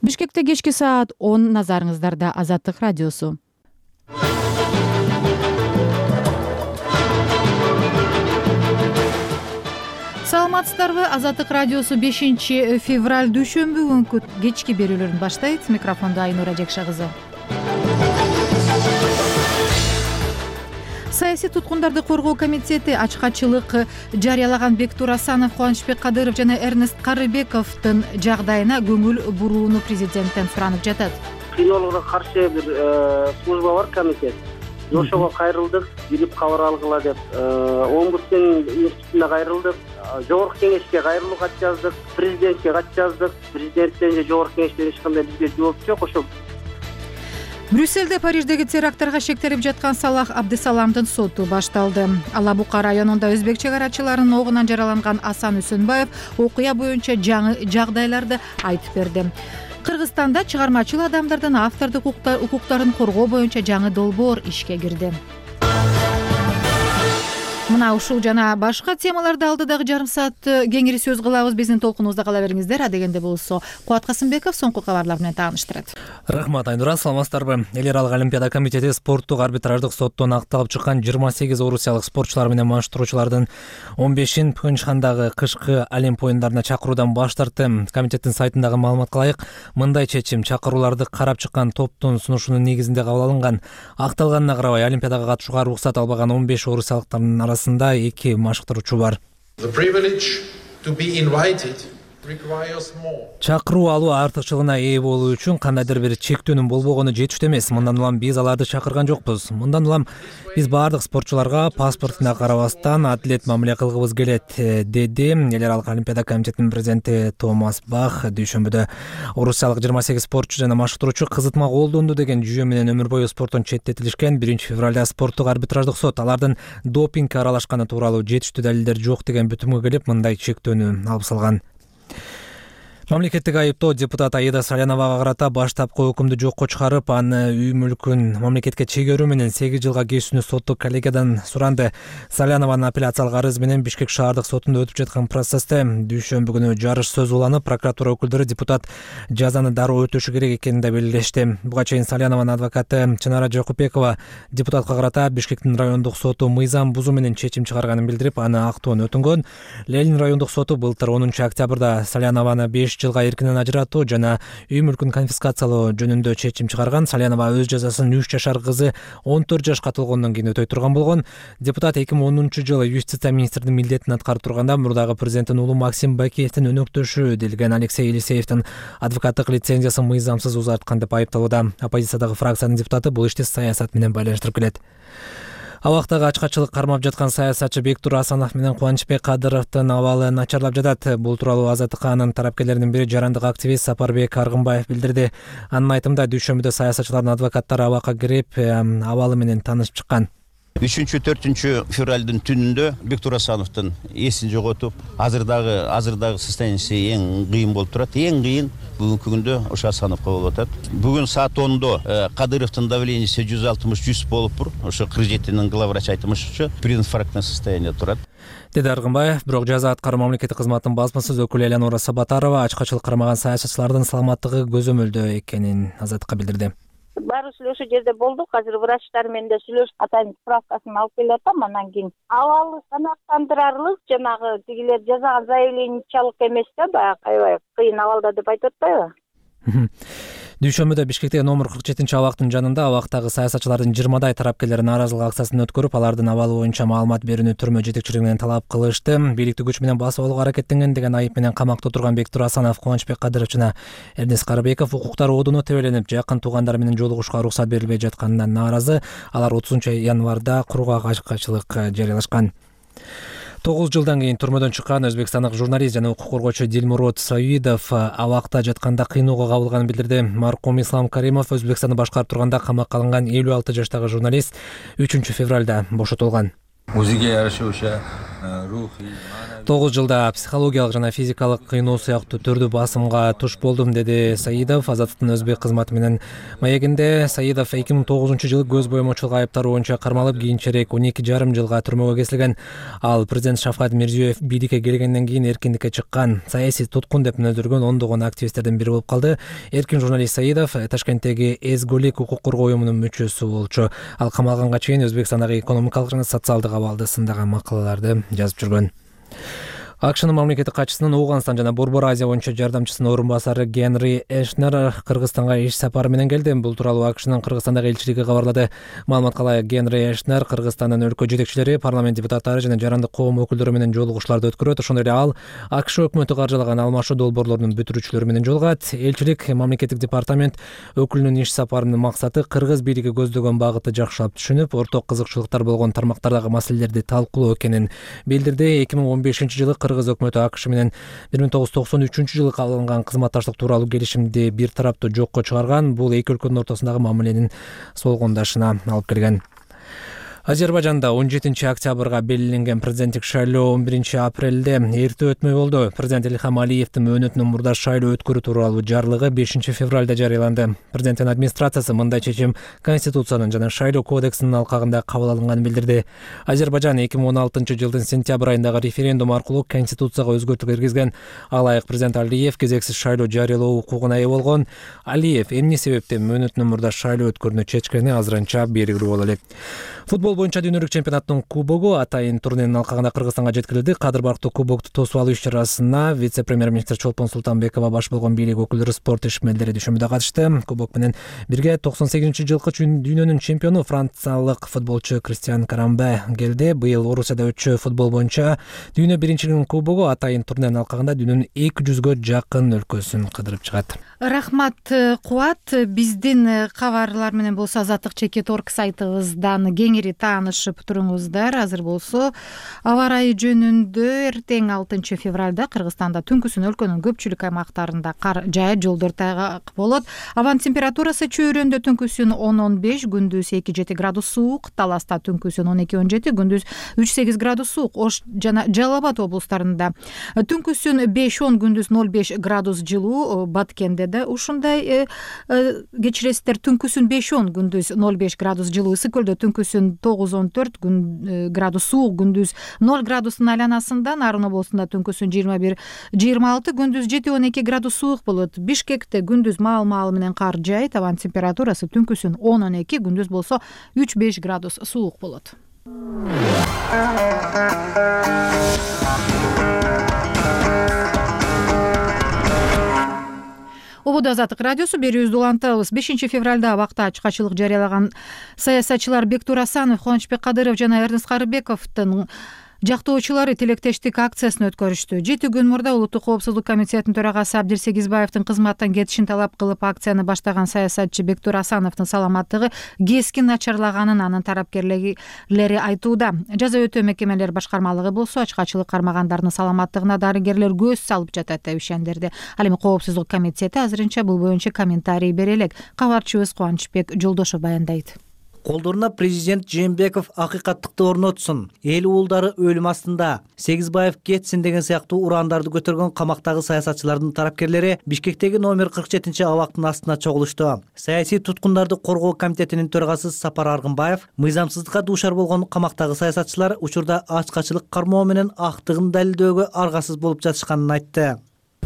Бишкекте кечки саат 10 назарыңыздарда Азаттык радиосу. Саламатсыздарбы? Азаттык радиосу 5 февраль дүйшөмбү күнкү кечки берүүлөрүн баштайт. Микрофондо Айнура Жекша кызы. Саясий туткундарды коргоо комитети ачкачылык жарыялаган Бектур Асанов, Кубанычбек Кадыров жана Эрнест Карыбековдун жагдайына көңүл бурууну президенттен суранып жатат. Кыйноолорго каршы бир служба бар, комитет. Ошого кайрылдык, билип кабар алгыла деп, Омбудсмен институтуна кайрылдык, жогорку кеңешке кайрылуу кат жаздык, президентке кат жаздык. Президенттен же жогорку кеңештен эч кандай бизге жооп жок. Ошол Брюссельде Париждеги терактарга шектелип жаткан Салах Абдысаламдын соту башталды. Ала Бука районунда өзбек чек арачыларынын огунан жараланган Асан Үсөнбаев окуя боюнча жаңы жагдайларды айтып берди. Кыргызстанда чыгармачыл адамдардын автордук укуктарын коргоо боюнча жаңы долбоор ишке кирди. Мына ушул жана башка темаларды алдыдагы жарым саат кеңири сөз кылабыз. Биздин толкунубузда кала бериңиздер. Адегенде болсо Кубат Касымбеков соңку кабарлар менен тааныштырат. Рахмат, Айнура. Саламатсыздарбы? Эл аралык Олимпиада комитети спорттук арбитраждык соттон акталып чыккан 28 орусиялык спортчулар менен маштыруучулардын 15-ин Пхенчхандагы кышкы Олимп оюндарына чакыруудан баш тартты. Комитеттин сайтындагы маалыматка ылайык, мындай чечим чакырууларды карап чыккан топтун сунушунун негизинде кабыл алынган. Акталганына карабай, Олимпиадага катышууга уруксат албаган 15 орусиялыктардын арасында 2 машыктыруучу бар. Чакыруу алуу артыкчылыгына ээ болуу үчүн кандайдыр бир чектөөнүн болбогону жетиштүү эмес. Мындан улам биз аларды чакырган жокпуз. Мындан улам биз баардык спортчуларга паспортуна карабастан адилет мамиле кылгыбыз келет, деди Эл аралык Олимпиада комитетинин президенти Томас Бах. Дүйшөмбүдө орусиялык 28 спортчу жана маштыруучу кызытма колдонду деген жүйө менен өмүр бою спорттон четтетилишкен. 1-февралда спорттук арбитраждык сот алардын допингге аралашканы тууралуу жетиштүү далилдер жок деген бүтүмгө келип, мындай чектөөнү алып салган. Мамлекеттик айыптоо депутат Аида Саляновага карата баштапкы өкүмдү жокко чыгарып, аны үй мүлкүн мамлекетке чегерүү менен 8 жылга кесүүнү соттук коллегиядан суранды. Салянованын апелляциялык арызы менен Бишкек шаардык сотунда өтүп жаткан процессте дүйшөмбү күнү жарыш сөз уланып, прокуратура өкүлдөрү депутат жазаны дароо өтөшү керек экенин да белгилешти. Буга чейин Салянованын адвокаты Чынара Жокупекова депутатка карата Бишкектин райондук соту мыйзам бузуу менен чечим чыгарганын билдирип, аны актоон өтүнгөн. Ленин райондук соту былтыр 10 октябрда Салянованы 5 жылга эркинен ажыратуу жана үй мүлкүн конфискациялоо жөнүндө чечим чыгарган. Салянова өз жазасын 3 жашар кызы 14 жашка толгондон кийин өтөй турган болгон. Депутат 2010-жылы юстиция министринин милдетин аткарып турганда мурдагы президенттин уулу Максим Бакиевдин өнөктөшү делген Алексей Елисеевдин адвокаттык лицензиясын мыйзамсыз узарткан деп айыпталууда. Оппозициядагы фракциянын депутаты бул ишти саясат менен байланыштырып келет. Абактагы ачкачылык кармап жаткан саясатчы Бектур Асанов менен Кубанычбек Кадыровдун абалы начарлап жатат. Бул тууралуу Азаттыкка анын тарапкерлеринин бири жарандык активист Сапарбек Аргынбаев билдирди. Анын айтымында дүйшөмбүдө саясатчылардын адвокаттары абакка кирип, абалы менен таанышып чыккан. 3-4 февралдын түнүндө Бектур Асановдун эсин жоготуп, азырдагы состояниясы эң кыйын болуп турат. Эң кыйын бүгүнкү күндө ошо Асановго болуп атат. Бүгүн саат 10-до Кадыровдун давлениеси 160-100 болуптур. Ошо 47-нин главврач айтымышча прединфарктный состояние турат, деди Аргынбаев. Бирок жаза аткаруу мамлекеттик кызматтын басмасыз өкүлү Элеонора Сабатарова ачкачылык кармаган саясатчылардын саламаттыгы көзөмөлдө экенин Азаттыкка билдирди. Баары ошол жерде болдук. Азыр врачтар менен да сүйлөшүп, атайын справкасын алып келатам. Анан кийин абалы санактандырарлык, жанагы тигилер жазган заявлениячалык эмес да, баягы аябай кыйын абалда деп айтып атпайбы? Дүйшөмбүдө Бишкектеги номер 47-абактын жанында абактагы саясатчылардын 20дай тарапкерлери нааразылык акциясын өткөрүп, алардын абалы боюнча маалымат берүүнү түрмө жетекчилиги менен талап кылышты. Бийликти күч менен басып алууга аракеттенген деген айып менен камакта отурган Бектур Асанов, Кубанычбек Кадыров жана Эрнест Карыбеков укуктар одуну тебеленип, жакын туугандары менен жолугушууга уруксат берилбей жатканынан нааразы. Алар 30-январда кургак ачкачылык жарыялашкан. 9 жылдан кийин түрмөдөн чыккан өзбекстандык журналист жана укук коргоочу Дилмурод Саидов абакта жатканда кыйноого кабылганын билдирди. Маркум Ислам Каримов Өзбекстанды башкарып турганда камакка алынган 56 жаштагы журналист 3 февралда бошотулган. Өзүгө жараша 9 жылда психологиялык жана физикалык кыйноо сыяктуу түрдүү басымга туш болдум, деди Саидов. Азаттыктын өзбек кызматы менен маегинде Саидов 2009-жылы көз боемочулук айыптары боюнча кармалып, кийинчерээк 12,5 жылга түрмөгө кесилген. Ал президент Шавкат Мирзиёев бийликке келгенден кийин эркиндикке чыккан, саясий туткун деп мүнөздөргөн ондогон активисттерден бири болуп калды. Эркин журналист Саидов Ташкенттеги Эзголик укук коргоо уюмунун мүчөсү болчу. Ал камалганга чейин Өзбекстандагы экономикалык жана социалдык абалды сындаган макалаларды жазып жүргөн. АКШнын мамлекеттик катчысынын Ооганстан жана Борбор Азия боюнча жардамчысынын орун басары Генри Эшнер Кыргызстанга иш сапары менен келди. Бул тууралуу АКШнын Кыргызстандагы элчилиги кабарлады. Маалыматка ылайык, Генри Эшнер Кыргызстандын өлкө жетекчилери, парламент депутаттары жана жарандык коом өкүлдөрү менен жолугушууларды өткөрөт. Ошондой эле ал АКШ өкмөтү каржылаган алмашуу долбоорлорунун бүтүрүүчүлөрү менен жолугат. Элчилик мамлекеттик департамент өкүлүнүн иш сапарынын максаты кыргыз бийлиги көздөгөн багытты жакшылап түшүнүп, орток кызыкчылыктар болгон тармактардагы маселелерди талкуулоо экенин билдирди. 2015-жылы Кыргыз өкмөтү АКШ менен 1993-жылы кабыл алынган кызматташтык тууралуу келишимди бир тараптуу жокко чыгарган. Бул эки өлкөнүн ортосундагы мамиленин солгондашына алып келген. Азербайжанда 17 октябрга белгиленген президенттик шайлоо 11 апрелде эрте өтмөй болду. Президент Илхам Алиевдин мөөнөтүнөн мурда шайлоо өткөрүү тууралуу жарлыгы 5 февралда жарыяланды. Президенттин администрациясы мындай чечим Конституциянын жана шайлоо кодексинин алкагында кабыл алынганын билдирди. Азербайжан 2016-жылдын сентябрь айындагы референдум аркылуу Конституцияга өзгөртүү киргизген. Алайык президент Алиев кезексиз шайлоо жарыялоо укугуна ээ болгон. Алиев эмне себептен мөөнөтүнөн мурда шайлоо өткөрүүнү чечкени азырынча белгилүү боло элек. Футбол боюнча дүйнөлүк чемпионаттын кубогу атайын турниринин алкагында Кыргызстанга жеткирилди. Кадыр барктуу кубокту тосуп алуу иш-чарасына вице-премьер-министр Чолпон Султанбекова баш болгон бийлик өкүлдөрү, спорт ишмерлери düşөмүдө катышты. Кубок менен бирге 98-жылкы дүйнөнүн чемпиону франциялык футболчу Кристиан Карамбе келди. Быйыл Орусияда өтчү футбол боюнча дүйнө биринчилигинин кубогу атайын турниринин алкагында дүйнөнүн 200гө жакын өлкөсүн кыдырып чыгат. Рахмат Кубат. Биздин кабарлар менен болсо Азаттык /org сайтыбыздан кеңири таанышып туруңуздар. Азыр болсо аба ырайы жөнүндө эртең 6 февралда Кыргызстанда түнкүсүн өлкөнүн көпчүлүк аймактарында кар жаайт, жолдор тайгак болот. Абанын температурасы чөйрөндө түнкүсүн 10-15, күндүз 2-7 градус суук, Таласта түнкүсүн 12-17, күндүз 3-8 градус суук. Ош жана Жалал Абад облустарында түнкүсүн 5-10, күндүз 0-5 градус жылуу. Баткенде да ушундай кечиресиздер, түнкүсүн 5-10, күндүз 0-5 градус жылуу. Ысык көлдө түнкүсүн 9-14 градус суук, күндүз 0 градустун айланасында. Нарын облусунда түнкүсүн 21-26, күндүз 7-12 градус суук болот. Бишкекте күндүз маал менен кар жаайт. Абанын температурасы түнкүсүн 10-12, күндүз болсо 3-5 градус суук болот. Ободо Азаттык радиосу, берүүбүздү улантабыз. 5 февралда абакта ачык-ачылык жарыялаган саясатчылар Бектур Асанов, Кубанычбек Кадыров жана Эрнест Карыбековдун жактоочулары тилектештик акциясын өткөрүштү. 7 күн мурда Улуттук коопсуздук комитетинин төрагасы Абдир Сегизбаевдин кызматтан кетишин талап кылып акцияны баштаган саясатчы Бектур Асановдун саламаттыгы кескин начарлаганын анын тарапкерлери айтууда. Жаза өтөө мекемелери башкармалыгы болсо ачык-ачылык кармагандардын саламаттыгына дарыгерлер көз салып жатат деп ишендирди. Ал эми коопсуздук комитети азырынча бул боюнча комментарий бере элек. Кабарчыбыз Кубанычбек Жолдошов баяндайт. Колдоруна президент Жээнбеков акыйкаттыкты орнотсун, эл уулдары өлүм астында, Сегизбаев кетсин деген сыяктуу урандарды көтөргөн камактагы саясатчылардын тарапкерлери Бишкектеги номер 47 абактын астына чогулушту. Саясий туткундарды коргоо комитетинин төрагасы Сапар Аргынбаев мыйзамсыздыкка дуушар болгон камактагы саясатчылар учурда ачык-ачылык кармоо менен актыгын далилдөөгө аргасыз болуп жатышканын айтты.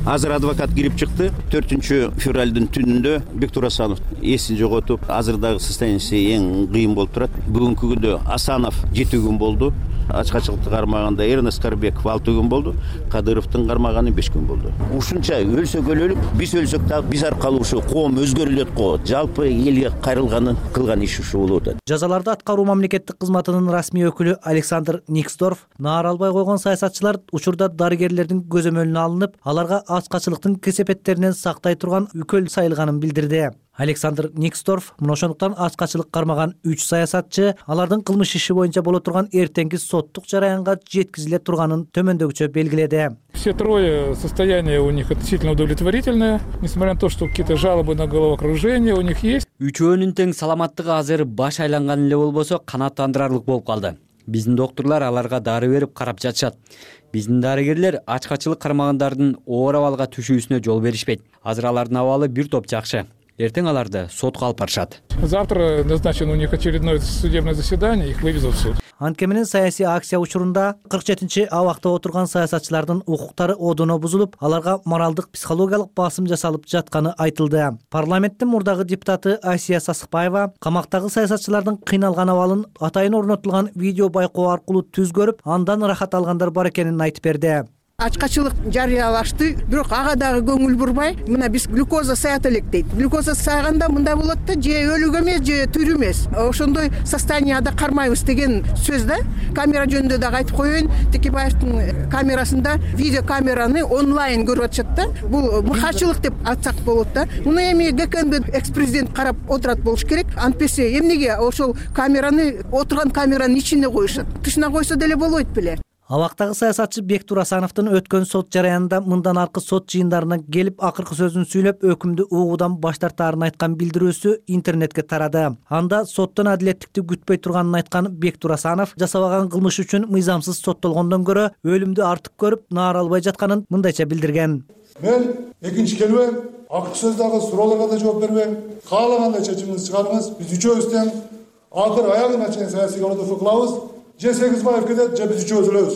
Азыр адвокат кирип чыкты. 4 февралдын түнүндө Бектур Асанов эсин жоготуп, азырдагы состояниясы эң кыйын болуп турат. Бүгүнкү күндө Асанов 7 күн болду. Ачык-ачылыкты кармаганда Эрнест Карыбеков 6 күн болду. Кадыровдун кармаганы 5 күн болду. Ушунча өлсөк өлөлүк, биз өлсөк дагы биз аркылуу ушу коом өзгөрүлөт го. Жалпы элге кайрылганын кылган иши ушу болуп атат. Жазаларды аткаруу мамлекеттик кызматынын расмий өкүлү Александр Никсдорф наар албай койгон саясатчылар учурда дарыгерлердин көзөмөлүнө алынып, аларга ачык-ачылыктын кесепеттеринен сактай турган үкөл сайылганын билдирди. Александр Никсдорф мына ошондуктан ачык-ачылык кармаган 3 саясатчы алардын кылмыш иши боюнча боло турган эртеңки соттук жараянга жеткизиле турганын төмөндөгүчө белгиледи. Все трое состояние у них относительно удовлетворительное, несмотря на то, что какие-то жалобы на головокружение у них есть. Үчөөнүн тең саламаттыгы азыр баш айланган эле болбосо канааттандырарлык болуп калды. Биздин доктурлар аларга дары берип карап жатышат. Биздин дарыгерлер ачкачылык кармагандардын оор абалга түшүүсүнө жол беришпейт. Азыр алардын абалы бир топ жакшы. Эртең аларды сотко алып барышат. Завтра назначено у них очередное судебное заседание, их вывезут в суд. Анткени менен саясий акция учурунда 47 абакта отурган саясатчылардын укуктары одоно бузулуп, аларга моралдык, психологиялык басым жасалып жатканы айтылды. Парламенттин мурдагы депутаты Асия Сасыкбаева камактагы саясатчылардын кыйналган абалын атайын орнотулган видео байкоо аркылуу түз көрүп, андан рахат алгандар бар экенин айтып берди. Ачкачылык жарыялашты, бирок ага дагы көңүл бурбай, мына биз глюкоза саят элек дейт. Глюкоза сааганда мындай болот да, же өлүк эмес, же тирүү эмес. Ошондой состоянияда кармайбыз деген сөз да. Камера жөнүндө дагы айтып коеюн, Текебаевдин камерасында видео камераны онлайн көрүп атышат да. Бул мыкаачылык деп айтсак болот да. Муну эми ГКНБ экс-президент карап отурат болуш керек. Антпесе эмнеге ошол камераны отурган камеранын ичине коюшат? Тышына койсо деле болбойт беле. Абактагы саясатчы Бектур Асановдун өткөн сот жараянында мындан аркы сот жыйындарына келип акыркы сөзүн сүйлөп, өкүмдү угуудан баш тартаарын айткан билдирүүсү интернетке тарады. Анда соттон адилеттикти күтпөй турганын айткан Бектур Асанов жасабаган кылмыш үчүн мыйзамсыз соттолгондон көрө өлүмдү артык көрүп, наар албай жатканын мындайча билдирген. Мен экинчи келбейм, акыркы сөздөгү суроолорго да жооп бербейм. Каалагандай чечимиңизди чыгарыңыз. Биз үчөөбүз тең акыр аягына чейин саясий колдоо кылабыз. Же Сегизбаев кетет, же биз үчөөбүз өлөбүз.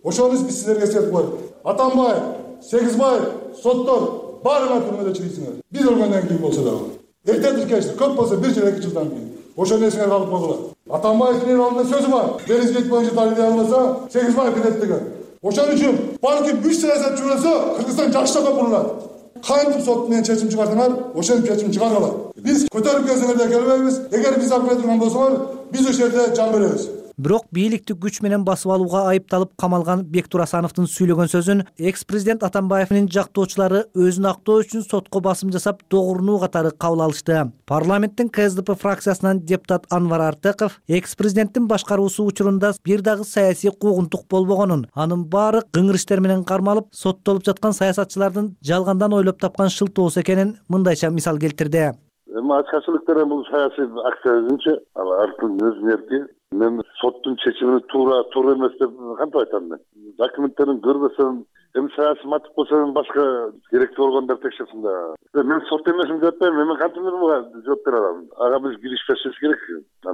Ошону биз силерге эскертип коелук. Атамбаев, Сегизбаев, соттор баарыңар түрмөдө чыгыйсыңар. Биз өлгөндөн кийин болсо дагы. Эрте тиркешти, көп болсо 1 жыл 2 жылдан кийин. Ошону эсиңерге алып койгула. Атамбаевдин алдында сөзү бар. Беризгет боюнча дарыдей албаса, Сегизбаев кетет деген. Ошон үчүн балким 3 саясатчы өлсө, Кыргызстан жакшыраак болот. Кантип сот менен чечим чыгардыңар, ошентип чечим чыгаргыла. Биз көтөрүп келсеңер келбейбиз. Эгер биз алып кетирген болсоңор, биз ошол жерде жан беребиз. Бирок бийликти күч менен басып алууга айыпталып камалган Бектур Асановдун сүйлөгөн сөзүн экс-президент Атамбаевдин жактоочулары өзүн актоо үчүн сотко басым жасап, догурнуу катары кабыл алышты. Парламенттин КСДП фракциясынан депутат Анвар Артыков экс-президенттин башкаруусу учурунда бир дагы саясий куугунтук болбогонун, анын баары кыңыр иштер менен кармалып, соттолуп жаткан саясатчылардын жалгандан ойлоп тапкан шылтоосу экенин мындайча мисал келтирди. Ачкачылыктар бул саясий акция өзүнчө, артын өзүнүн эрки. Мен соттун чечимини туура эмес деп кантип айтам мен? Документтерин көрбөсөм, эми саясий мотив болсо башка керектүү органдар текшерсин да. Мен сот эмесмин деп атпайм, мен кантип буга жооп бере алам? Ага биз киришпешибиз керек.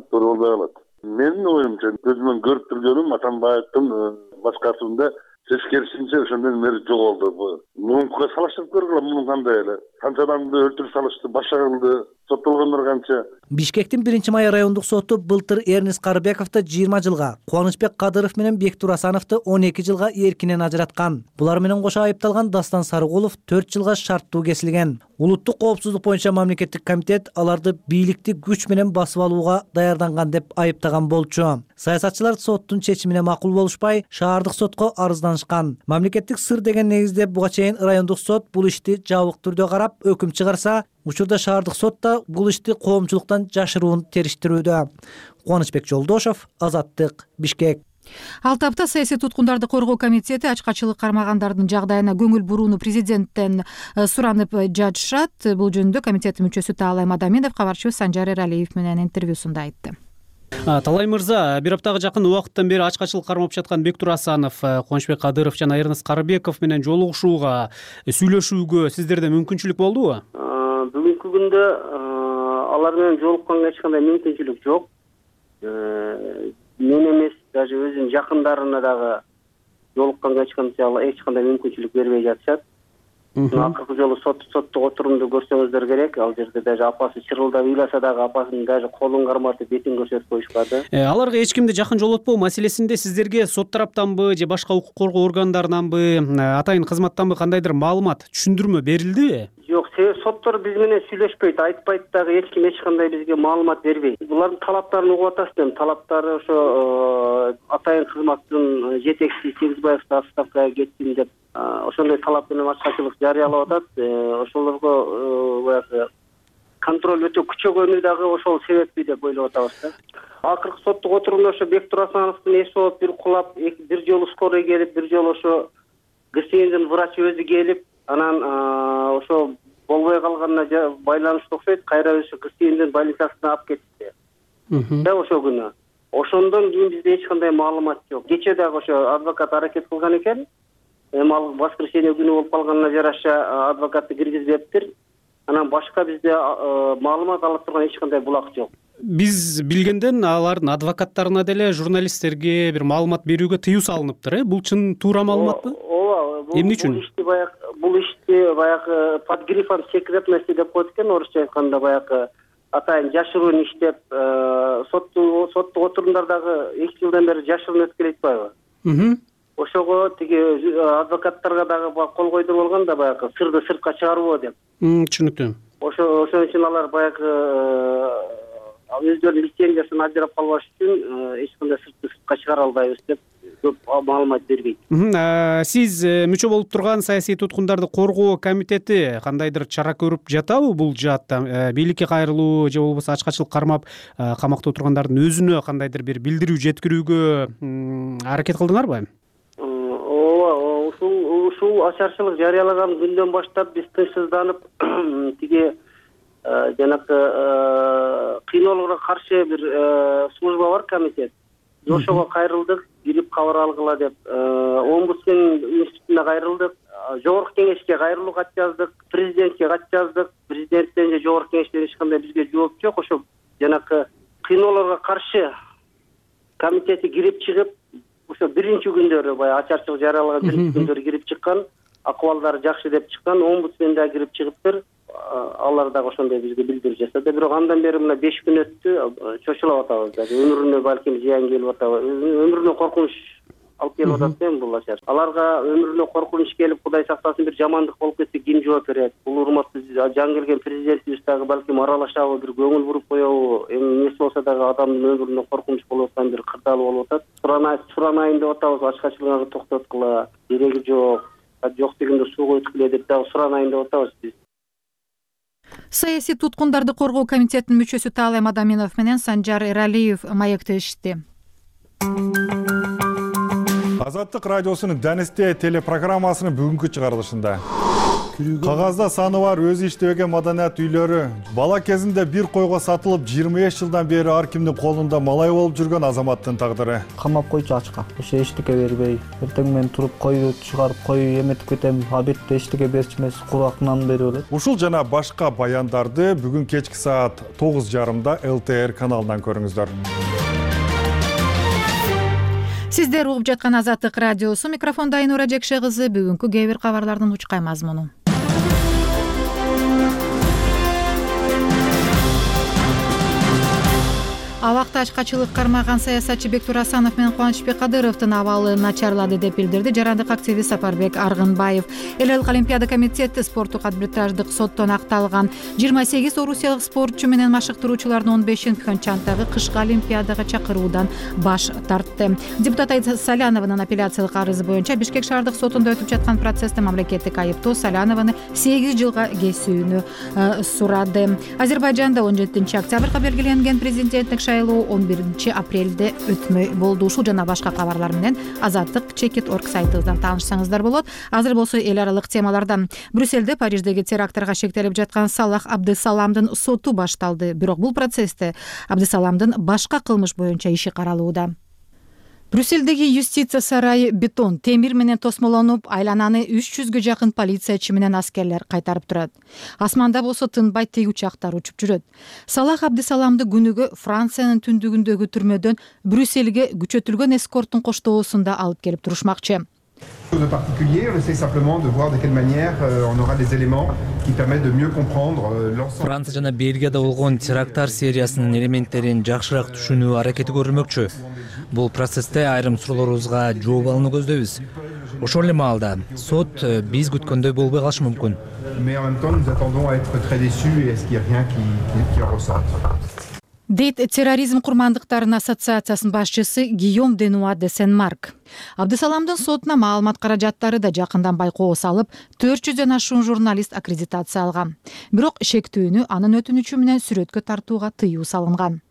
Туура болбой калат. Менин оюмча, көзүмөн көрүп турганым Атамбаевдин башкаруусунда тескерисинче ошондон бери жоголду. Муңкуга салыштырып көргүлө, мунун кандай эле. Канча адамды өлтүрүп салышты, башка кылды, соттолгондор канча. Бишкектин 1-май райондук соту былтыр Эрнис Карыбековду 20 жылга, Кубанычбек Кадыров менен Бектур Асановду 12 жылга эркинен ажыраткан. Булар менен кошо айыпталган Дастан Сарыгулов 4 жылга шарттуу кесилген. Улуттук коопсуздук боюнча мамлекеттик комитет аларды бийликти күч менен басып алууга даярданган деп айыптаган болчу. Саясатчылар соттун чечимине макул болушпай, шаардык сотко арызданышкан. Мамлекеттик сыр деген негизде буга чейин райондук сот бул ишти жабык түрдө карап, өкүм чыгарса, учурда шаардык сот да бул ишти коомчулуктан жашыруун териштирүүдө. Кубанычбек Жолдошов, Азаттык, Бишкек. Ал тапта саясий туткундарды коргоо комитети ачкачылык кармагандардын жагдайына көңүл бурууну президенттен суранып жатышат. Бул жөнүндө комитеттин мүчөсү Таалай Мадаминов кабарчыбыз Санжар Эралиев менен интервьюсунда айтты. Талай мырза, бир аптага жакын убакыттан бери ачкачылык кармап жаткан Бектур Асанов, Кубанычбек Кадыров жана Эрнис Карыбеков менен жолугушууга, сүйлөшүүгө сиздерде мүмкүнчүлүк болдубу? Бүгүнкү күндө алар менен жолукканга эч кандай мүмкүнчүлүк жок. Мен эмес, даже өзүнүн жакындарына дагы жолукканга эч кандай мүмкүнчүлүк бербей жатышат. Акыркы жолу соттук отурумду көрсөңүздөр керек. Ал жерде даже апасы чырылдап ыйласа дагы апасынын даже колун карматып бетин көрсөтүп коюшпады. Аларга эч кимди жакын жолотпоо маселесинде сиздерге сот тараптанбы же башка укук коргоо органдарынанбы, атайын кызматтанбы кандайдыр маалымат, түшүндүрмө берилдиби? Жок, соттор биз менен сүйлөшпөйт, айтпайт дагы, эч ким эч кандай бизге маалымат бербейт. Булардын талаптарын угуп атасызбы? Талаптары ошо атайын кызматтын жетекчиси Сегизбаев отставкага кетсин деп ошондой талап менен ачкачылык жарыялап атат. Ошолорго баягы контроль өтө күчөгөнү дагы ошол себеппи деп ойлоп атабыз да. Акыркы соттук отурумда ошо Бектур Асановдун эс болуп бир кулап, бир жолу скорый келип, бир жолу ошо ГСНдин врачы өзү келип, анан ошо болбой калганына байланыштуу окшойт, кайра ошо ГСНдин больницасына алып кетти. Да ошол күнү. Ошондон кийин бизде эч кандай маалымат жок. Кечээ дагы ошо адвокат аракет кылган экен. Эми ал воскресенье күнү болуп калганына жараша адвокатты киргизбептир. Анан башка бизде маалымат ала турган эч кандай булак жок. Биз билгенден алардын адвокаттарына деле журналисттерге бир маалымат берүүгө тыюу салыныптыр. Бул чын туура маалыматпы? Ооба. Эмне үчүн? Бул ишти баягы под грифом секретности деп коет экен, орусча айтканда баягы атайын жашыруун иштеп, соттук отурумдардагы 2 жылдан бери жашыруун өтүп келет атпайбы? Ошого тиги адвокаттарга дагы кол койдуруп алган да баягы сырды сыртка чыгарбоо деп. Түшүнүктүү. Ошон үчүн алар баягы өздөрүнүн лицензиясын ажырап калбаш үчүн эч кандай сыртка чыгара албайбыз деп көп маалымат бербейт. Сиз мүчө болуп турган саясий туткундарды коргоо комитети кандайдыр чара көрүп жатабы бул жаатта? Бийликке кайрылуу же болбосо ачкачылык кармап камакта отургандардын өзүнө кандайдыр бир билдирүү жеткирүүгө аракет кылдыңарбы? Ооба, ушул ачарчылык жарыялаган күндөн баштап биз тынчсызданып тиги жанакы кыйноолорго каршы бир служба бар, комитет. Ошого кайрылдык, кирип кабар алгыла деп, омбудсмен институтуна кайрылдык, жогорку кеңешке кайрылуу кат жаздык, президентке кат жаздык. Президенттен же жогорку кеңештен эч кандай бизге жооп жок. Ошо жанакы кыйноолорго каршы комитети кирип чыгып, ошо биринчи күндөрү баягы ачарчылык жарыялаган биринчи күндөрү кирип чыккан, акыбалдары жакшы деп чыккан, омбудсмен да кирип чыгыптыр. Алар дагы ошондой бизге билдирүү жасады. Бирок андан бери мына 5 күн өттү, чочулап атабыз. Өмүрүнө балким зыян келип атабы. Өмүрүнө коркунуч алып келип атат эми бул ачар. Аларга өмүрүнө коркунуч келип, Кудай сактасын, бир жамандык болуп кетсе ким жооп берет? Бул урматтуу жан келген президентибиз дагы балким аралашабы, бир көңүл буруп коебу? Эми нерсе болсо дагы адамдын өмүрүнө коркунуч болуп аткан бир кырдаал болуп атат. Суранайын деп атабыз, ачкачылыгы токтоткула, кереги жок. Жок дегенде сууга өткүлө деп дагы суранайын деп атабыз биз. Саясий туткундарды коргоо комитетинин мүчөсү Таалай Мадаминов менен Санжар Эралиев маектешти. Азаттык радиосунун Данисте телепрограммасынын бүгүнкү чыгарылышында кагазда саны бар өзү иштебеген маданият үйлөрү бала кезинде бир койго сатылып 25 жылдан бери ар кимдин колунда малай болуп жүргөн азаматтын тагдыры. Камап койчу ачка, ошо эчтеке бербей, эртең менен туруп кою чыгарып кою эметип кетем, абетте эчтеке берчү эмес, куракынан берип элет. Ушул жана башка баяндарды бүгүн кечки саат 9:30 ЛТР каналынан көрүңүздөр. Сиздер угуп жаткан Азаттык радиосу, микрофондо Айнура Жекше кызы. Бүгүнкү кээ бир кабарлардын учкай мазмуну. Абакта ачкачылык кармаган саясатчы Бектур Асанов менен Кубанычбек Кадыровдун абалы начарлады деп билдирди жарандык активист Сапарбек Аргынбаев. Эл элдик Олимпиада комитети спорттук арбитраждык соттон акталган 28 орусиялык спортчу менен машыктыруучулардын 15-ин Пхенчхандагы кышкы Олимпиадага чакыруудан баш тартты. Депутат Айда Салянованын апелляциялык арызы боюнча Бишкек шаардык сотунда өтүп жаткан процессте мамлекеттик айыптоо Салянованы 8 жылга кесүүнү сурады. Азербайжанда 17 октябрга белгиленген президенттик шайлоо 11 апрелде өтмөй болду. Ушул жана башка кабарлар менен Азаттык Чекит.org сайтыбыздан таанышсаңыздар болот. Азыр болсо эл аралык темалардан. Брюссельде Париждеги терактарга шектелип жаткан Салах Абдысаламдын соту башталды. Бирок бул процессте Абдысаламдын башка кылмыш боюнча иши каралууда. Брюссельдеги юстиция сарайы бетон, темир менен тосмолонуп, айлананы 300гө жакын полициячы менен аскерлер кайтарып турат. Асманда болсо тынбай тиг учактар учуп жүрөт. Салах Абдысаламды күнүгө Франциянын түндүгүндөгү түрмөдөн Брюссельге күчөтүлгөн эскорттун коштоосунда алып келип турушмакчы. De particulier, on essaie simplement de voir de quelle manière on aura des éléments qui permettent de mieux comprendre l'ensemble. Франция жана Бельгияда болгон теракттар сериясынын элементтерин жакшыраак түшүнүү аракети көрүлмөкчү. Бул процессте айрым суроолорубузга жооп алууну көздөйбүз. Ошол эле маалда сот биз күткөндөй болбой калышы мүмкүн. Mais en même temps, nous attendons à être très déçus et à ce qu'il n'y ait rien qui en ressorte. Дейт терроризм курмандыктарынын ассоциациясынын башчысы Гийом Денуа де Сен-Марк. Абдысаламдын сотуна маалымат каражаттары да жакындан байкоо салып, 400дөн ашуун журналист аккредитация алган. Бирок шектүүнү анын өтүнүчү менен сүрөткө тартууга тыюу салынган.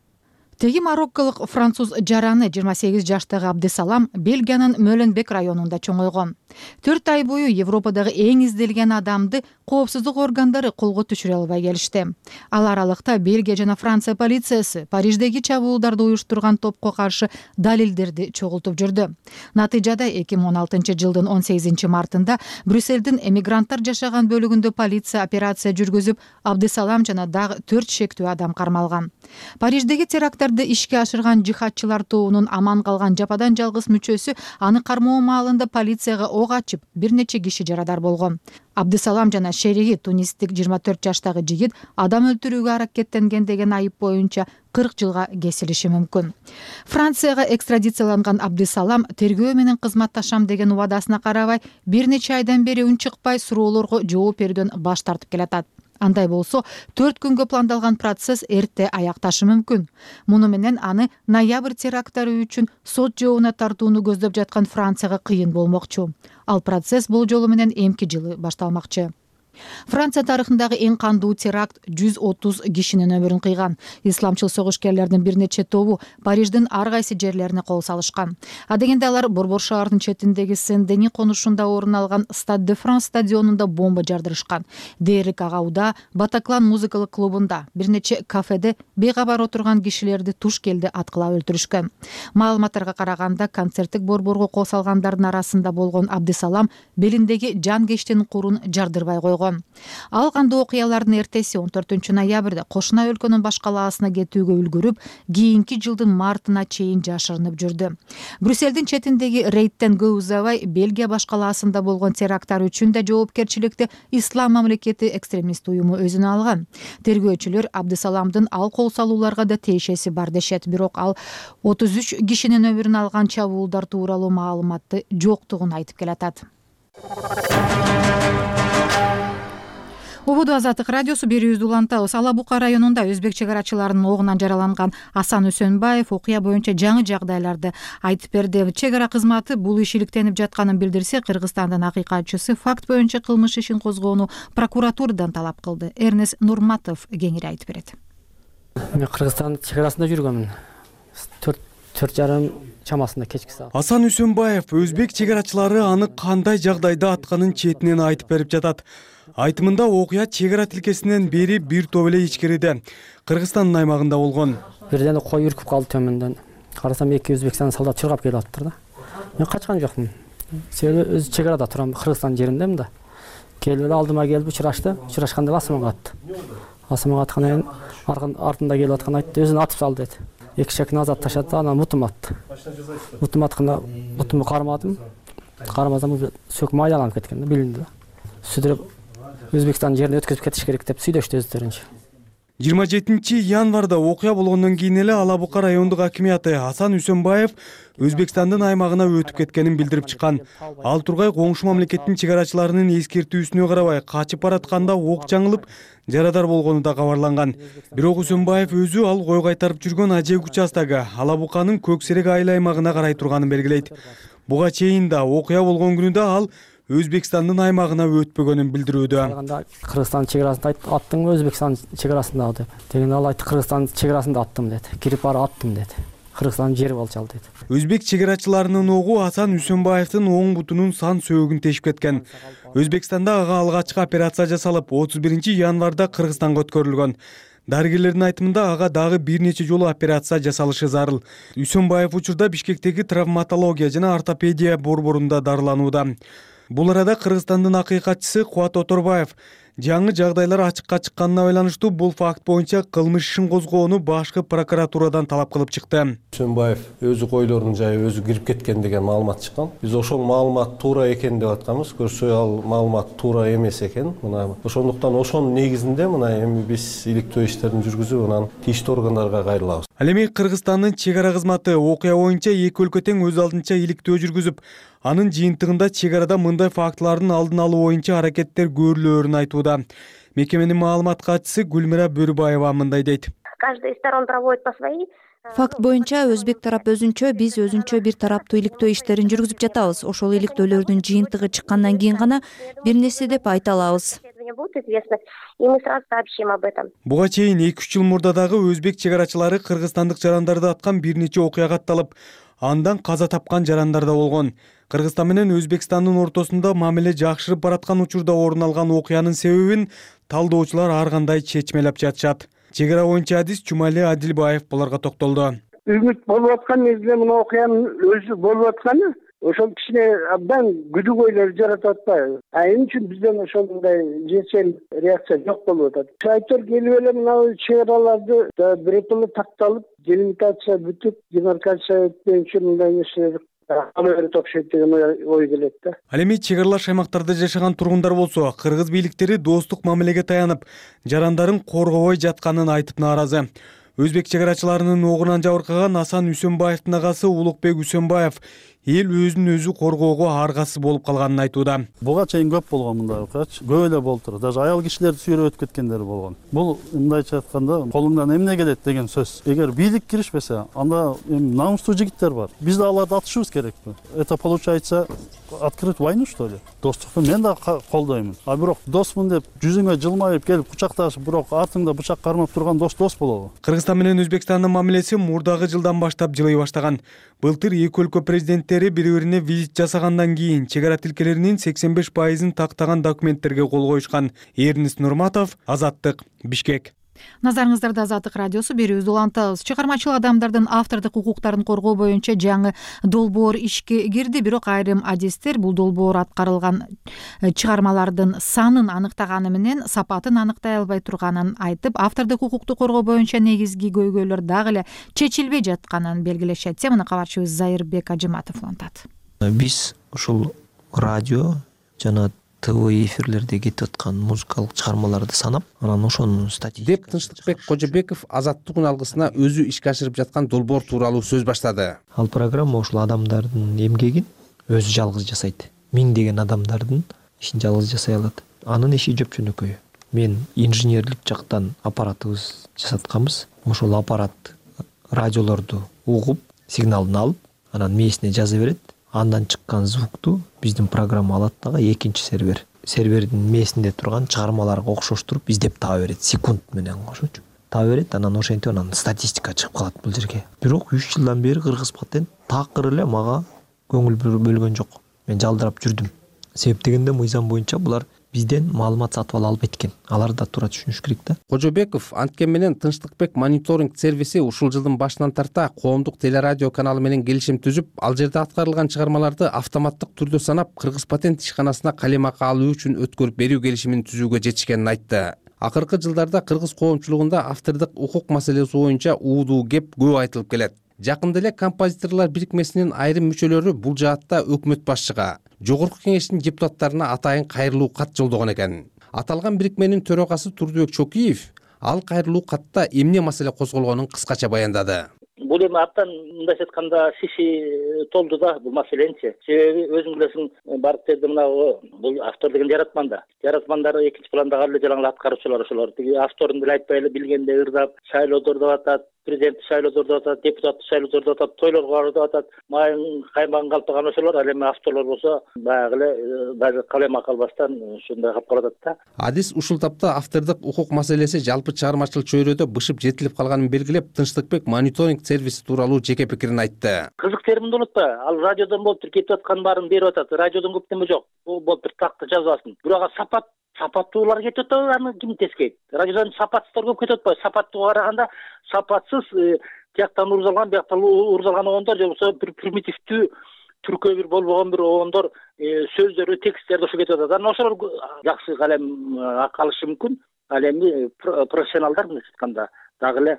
Теги марокколук француз жараны 28 жаштагы Абдысалам Бельгиянын Мөленбек районунда чоңойгон. 4 ай бою Европадагы эң изделген адамды коопсуздук органдары колго түшүрө албай келишти. Ал аралыкта Бельгия жана Франция полициясы Париждеги чабуулдарды уюштурган топко каршы далилдерди чогултуп жүрдү. Натыйжада 2016-жылдын 18-мартында Брюссельдин эмигранттар жашаган бөлүгүндө полиция операция жүргүзүп, Абдысалам жана дагы 4 шектүү адам кармалган. Париждеги теракттарды ишке ашырган жихадчылар тобунун аман калган жападан жалгыз мүчөсү аны кармоо маалында полицияга ок ачып, бир нече киши жарадар болгон. Абдысалам жана шериги тунистик 24 жаштагы жигит адам өлтүрүүгө аракеттенген деген айып боюнча 40 жылга кесилиши мүмкүн. Францияга экстрадицияланган Абдысалам тергөө менен кызматташам деген убадасына карабай, бир нече айдан бери үн чыкпай суроолорго жооп берүүдөн баш тартып келатат. Андай болсо, 4 күнгө пландалган процесс эрте аякташы мүмкүн. Муну менен аны ноябрь теракттары үчүн сот жообуна тартууну көздөп жаткан Францияга кыйын болмокчу. Ал процесс бул жолу менен эмки жылы башталмакчы. Франция тарыхындагы эң кандуу теракт 130 кишинин өмүрүн кыйган. Исламчыл согушкерлердин бир нече тобу Париждин ар кайсы жерлерине кол салышкан. Адегенде алар Борбор шаарынын четиндеги Сен-Дени конушунда орун алган Стад де Франс стадионунда бомба жардырышкан. Дээрлик Агауда, Батаклан музыкалык клубунда, бир нече кафеде бейкабар отурган кишилерди туш келди аткылап өлтүрүшкөн. Маалыматтарга караганда, концерттик борборго кол салгандардын арасында болгон Абдысалам белиндеги жан кештин курун жардырбай койгон. Ал кандуу окуялардын эртеси 14 ноябрда кошуна өлкөнүн баш калаасына кетүүгө үлгүрүп, кийинки жылдын мартына чейин жашырынып жүрдү. Брюссельдин четиндеги рейдтен көп узабай Бельгия баш калаасында болгон теракттар үчүн да жоопкерчиликти Ислам мамлекети экстремист уюму өзүнө алган. Тергөөчүлөр Абдысаламдын ал кол салууларга да тиешеси бар дешет, бирок ал 33 кишинин өмүрүн алган чабуулдар тууралуу маалыматты жоктугун айтып келатат. Убуду Азаттык радиосу берүүбүздү улантабыз. Ала Бука районунда өзбек чек арачыларынын огунан жараланган Асан Үсөнбаев окуя боюнча жаңы жагдайларды айтып берди. Чек ара кызматы бул иш иликтенип жатканын билдирсе, Кыргызстандын акыйкатчысы факт боюнча кылмыш ишин козгоону прокуратурадан талап кылды. Эрнес Нурматов кеңири айтып берет. Мен Кыргызстандын чек арасында жүргөмүн. 4:30 чамасында кечки саат. Асан Үсөнбаев өзбек чек арачылары аны кандай жагдайда атканын четинен айтып берип жатат. Айтымында окуя чек ара тилкесинен бери бир топ эле ичкериде Кыргызстандын аймагында болгон. Бирден кой үркүп калды төмөндөн. Карасам 2 Өзбекстан солдат чургап келип атыптыр да. Мен качкан жокмун. Себеби өз чек арада турам, Кыргызстан жериндемин да. Келип алдыма келип учурашты. Учурашканда асманга атты. Асманга аткандан кийин артында келип аткан айтты, өзүн атып салды деди. 2 шекин азат ташады, анан мутум атты. Мутум атканда мутумду кармадым. Кармасам сөк майланып кеткен да, билинди да. Сүдүрүп Өзбекстан жерине өткөзүп кетиш керек деп сүйлөштү өздөрүнчө. 27 январда окуя болгондон кийин эле Ала Бука райондук акимияты Асан Үсөнбаев Өзбекстандын аймагына өтүп кеткенин билдирип чыккан. Ал тургай коңшу мамлекеттин чек арачыларынын эскертүүсүнө карабай качып баратканда ок жаңылып жарадар болгону да кабарланган. Бирок Үсөнбаев өзү ал кой кайтарып жүргөн Ажек участогу Ала Буканын Көксерек айыл аймагына карай турганын белгилейт. Буга чейин да окуя болгон күнүдө ал Өзбекстандын аймагына өтпөгөнүн билдирүүдө. Кыргызстан чек арасында аттың Өзбекстан чек арасында деп. Деген ал айтты, Кыргызстан чек арасында аттым деди. Кирип барып аттым деди. Кыргызстан жери болчу ал деди. Өзбек чек арачыларынын огу Асан Үсөнбаевдин оң бутунун сан сөөгүн тешип кеткен. Өзбекстанда ага алгачкы операция жасалып, 31 январда Кыргызстанга өткөрүлгөн. Дарыгерлердин айтымында ага дагы бир нече жолу операция жасалышы зарыл. Үсөнбаев учурда Бишкектеги травматология жана ортопедия борборунда дарыланууда. Бул арада Кыргызстандын акыйкатчысы Кубат Оторбаев жаңы жагдайлар ачыкка чыкканына байланыштуу бул факт боюнча кылмыш ишин козгоону башкы прокуратурадан талап кылып чыкты. Үсөнбаев өзү койлордун жайы өзү кирип кеткен деген маалымат чыккан. Биз ошол маалымат туура экен деп атканбыз. Көрсө ал маалымат туура эмес экен. Мына ошондуктан ошонун негизинде мына эми биз иликтөө иштерин жүргүзүп, анан тийиштүү органдарга кайрылабыз. Ал эми Кыргызстандын чек ара кызматы окуя боюнча эки өлкө тең өз алдынча иликтөө жүргүзүп, анын жыйынтыгында чек арада мындай фактылардын алдын алуу боюнча аракеттер көрүлөөрүн айтууда. Мекеменин маалымат катчысы Гүлмира Бөрүбаева мындай дейт. Каждый из сторон проводит по своей. Факт боюнча өзбек тарап өзүнчө, биз өзүнчө бир тараптуу иликтөө иштерин жүргүзүп жатабыз. Ошол иликтөөлөрдүн жыйынтыгы чыккандан кийин гана бир нерсе деп айта алабыз. Буга чейин 2-3 жыл мурда дагы өзбек чек арачылары кыргызстандык жарандарды аткан бир нече окуя катталып, андан каза тапкан жарандар да болгон. Кыргызстан менен Өзбекстандын ортосунда мамиле жакшырып бараткан учурда орун алган окуянын себебин талдоочулар ар кандай чечмелеп жатышат. Чек ара боюнча адис Жумали Адилбаев буларга токтолду. Үмүт болуп аткан мезгилде мына окуянын өзү болуп атканы ошол кичине абдан күдүгөйлөр жаратып атпайбы? Эмне үчүн бизден ошондой жешел реакция жок болуп атат? Шайтор келип эле мына чек араларды биротоло такталып, делимитация бүтүп, демаркация өтпөйүнчө мындай нерселер алып окшойт деген ой келет да. Ал эми чек аралаш аймактарда жашаган тургундар болсо, кыргыз бийликтери достук мамилеге таянып, жарандарын коргобой жатканын айтып нааразы. Өзбек чек арачыларынын огунан жабыркаган Асан Үсөнбаевдин агасы Улукбек Үсөнбаев эл өзүн өзү коргоого аргасыз болуп калганын айтууда. Буга чейин көп болгон мындай окуячы. Көп эле болуп турат. Даже аял кишилерди сүйрөп өтүп кеткендер болгон. Бул мындайча айтканда колуңдан эмне келет деген сөз. Эгер бийлик киришпесе, анда намустуу жигиттер бар. Биз да аларды атышыбыз керекпи? Это получается открыть войну, что ли? Достукту мен да колдоймун. А бирок досмун деп жүзүңө жылмайып келип кучакташып, бирок артыңда бычак кармап турган дос болобу? Кыргызстан менен Өзбекстандын мамилеси мурдагы жылдан баштап жылый баштаган. Былтыр эки өлкө президенттери бири-бирине визит жасагандан кийин чек ара тилкелеринин 85%-ын тактаган документтерге кол коюшкан. Эрнис Нурматов, Азаттык, Бишкек. Назарыңыздарда Азаттык радиосу, берүүбүздү улантабыз. Чыгармачыл адамдардын автордук укуктарын коргоо боюнча жаңы долбоор ишке кирди, бирок айрым адистер бул долбоор аткарылган чыгармалардын санын аныктаганы менен сапатын аныктай албай турганын айтып, автордук укукту коргоо боюнча негизги көйгөйлөр дагы эле чечилбей жатканын белгилешет. Мына кабарчыбыз Зайырбек Ажыматов улантат. Биз ушул радио жана ТВ эфирлерде кетип аткан музыкалык чыгармаларды санап, анан ошонун статистикасы деп Тынчтыкбек Кожобеков Азаттыктын алгысына өзү ишке ашырып жаткан долбоор тууралуу сөз баштады. Ал программа ушул адамдардын эмгегин өзү жалгыз жасайт. Миңдеген адамдардын ишин жалгыз жасай алат. Анын иши жөпчөнөкөй. Мен инженерлик жактан аппаратыбыз жасатканбыз. Ошол аппарат радиолорду угуп, сигналын алып, анан мээсине жаза берет. Андан чыккан звукту биздин программа алат дагы экинчи сервердин мээсинде турган чыгармаларга окшоштуруп издеп таба берет, секунд менен кошочу. Таба берет, анан ошентип анан статистика чыгып калат бул жерге. Бирок 3 жылдан бери кыргыз патент такыр эле мага көңүл бөлгөн жок. Мен жалдырап жүрдүм. Себеп дегенде мыйзам боюнча булар бизден маалымат сатып ала албайт экен. Алар да туура түшүнүш керек да. Кожобеков анткен менен Тынчтыкбек мониторинг сервиси ушул жылдын башынан тарта коомдук телерадио каналы менен келишим түзүп, ал жерде аткарылган чыгармаларды автоматтык түрдө санап, Кыргыз патент ишканасына калемакы алуу үчүн өткөрүп берүү келишимин түзүүгө жетишкенин айтты. Акыркы жылдарда кыргыз коомчулугунда автордук укук маселеси боюнча уудуу кеп көп айтылып келет. Жакында эле композиторлор бирикмесинин айрым мүчөлөрү бул жаатта өкмөт башчыга, жогорку кеңештин депутаттарына атайын кайрылуу кат жолдогон экен. Аталган бирикменин төрагасы Турдубек Чокиев ал кайрылуу катта эмне маселе козголгонун кыскача баяндады. Бул эми абдан мындайча айтканда шиши толду да бул маселенчи. Себеби өзүң билесиң, барып жерде мынагы бул автор деген жаратман да. Жаратмандар экинчи пландагы эле жалаң аткаруучулар ошолор. Тиги авторун деле айтпай эле билгенде ырдап, шайлоодор деп атат, президент шайлоодор деп атат, депутат шайлоодор деп атат, тойлорго барып деп атат. Майын каймагын калтырган ошолор, ал эми авторлор болсо баягы эле даже калемак албастан ушундай калып калат да. Адис ушул тапта автордук укук маселеси жалпы чыгармачыл чөйрөдө бышып жетилип калганын белгилеп, Тынчтыкбек мониторинг сервиси тууралуу жеке пикирин айтты. Кызык терминди унутпа. Ал радиодон болуптур, кетип аткан баарын берип атат. Радиодон көп неме жок. Бул болуптур, такты жазбасын. Бирок сапаттуулар кетип атат, аны ким тескейт? Радиодон сапатсыздар көп кетип атпайбы? Сапаттууга караганда сапатсыз тияктан урузалган, бияктан урузалган огондор же болбосо бир примитивдүү түркөө бир болбогон бир огондор сөздөрү, тексттерди ошо кетип атат. Анан ошолор жакшы калем алышы мүмкүн. Ал эми профессионалдар мындайча айтканда дагы эле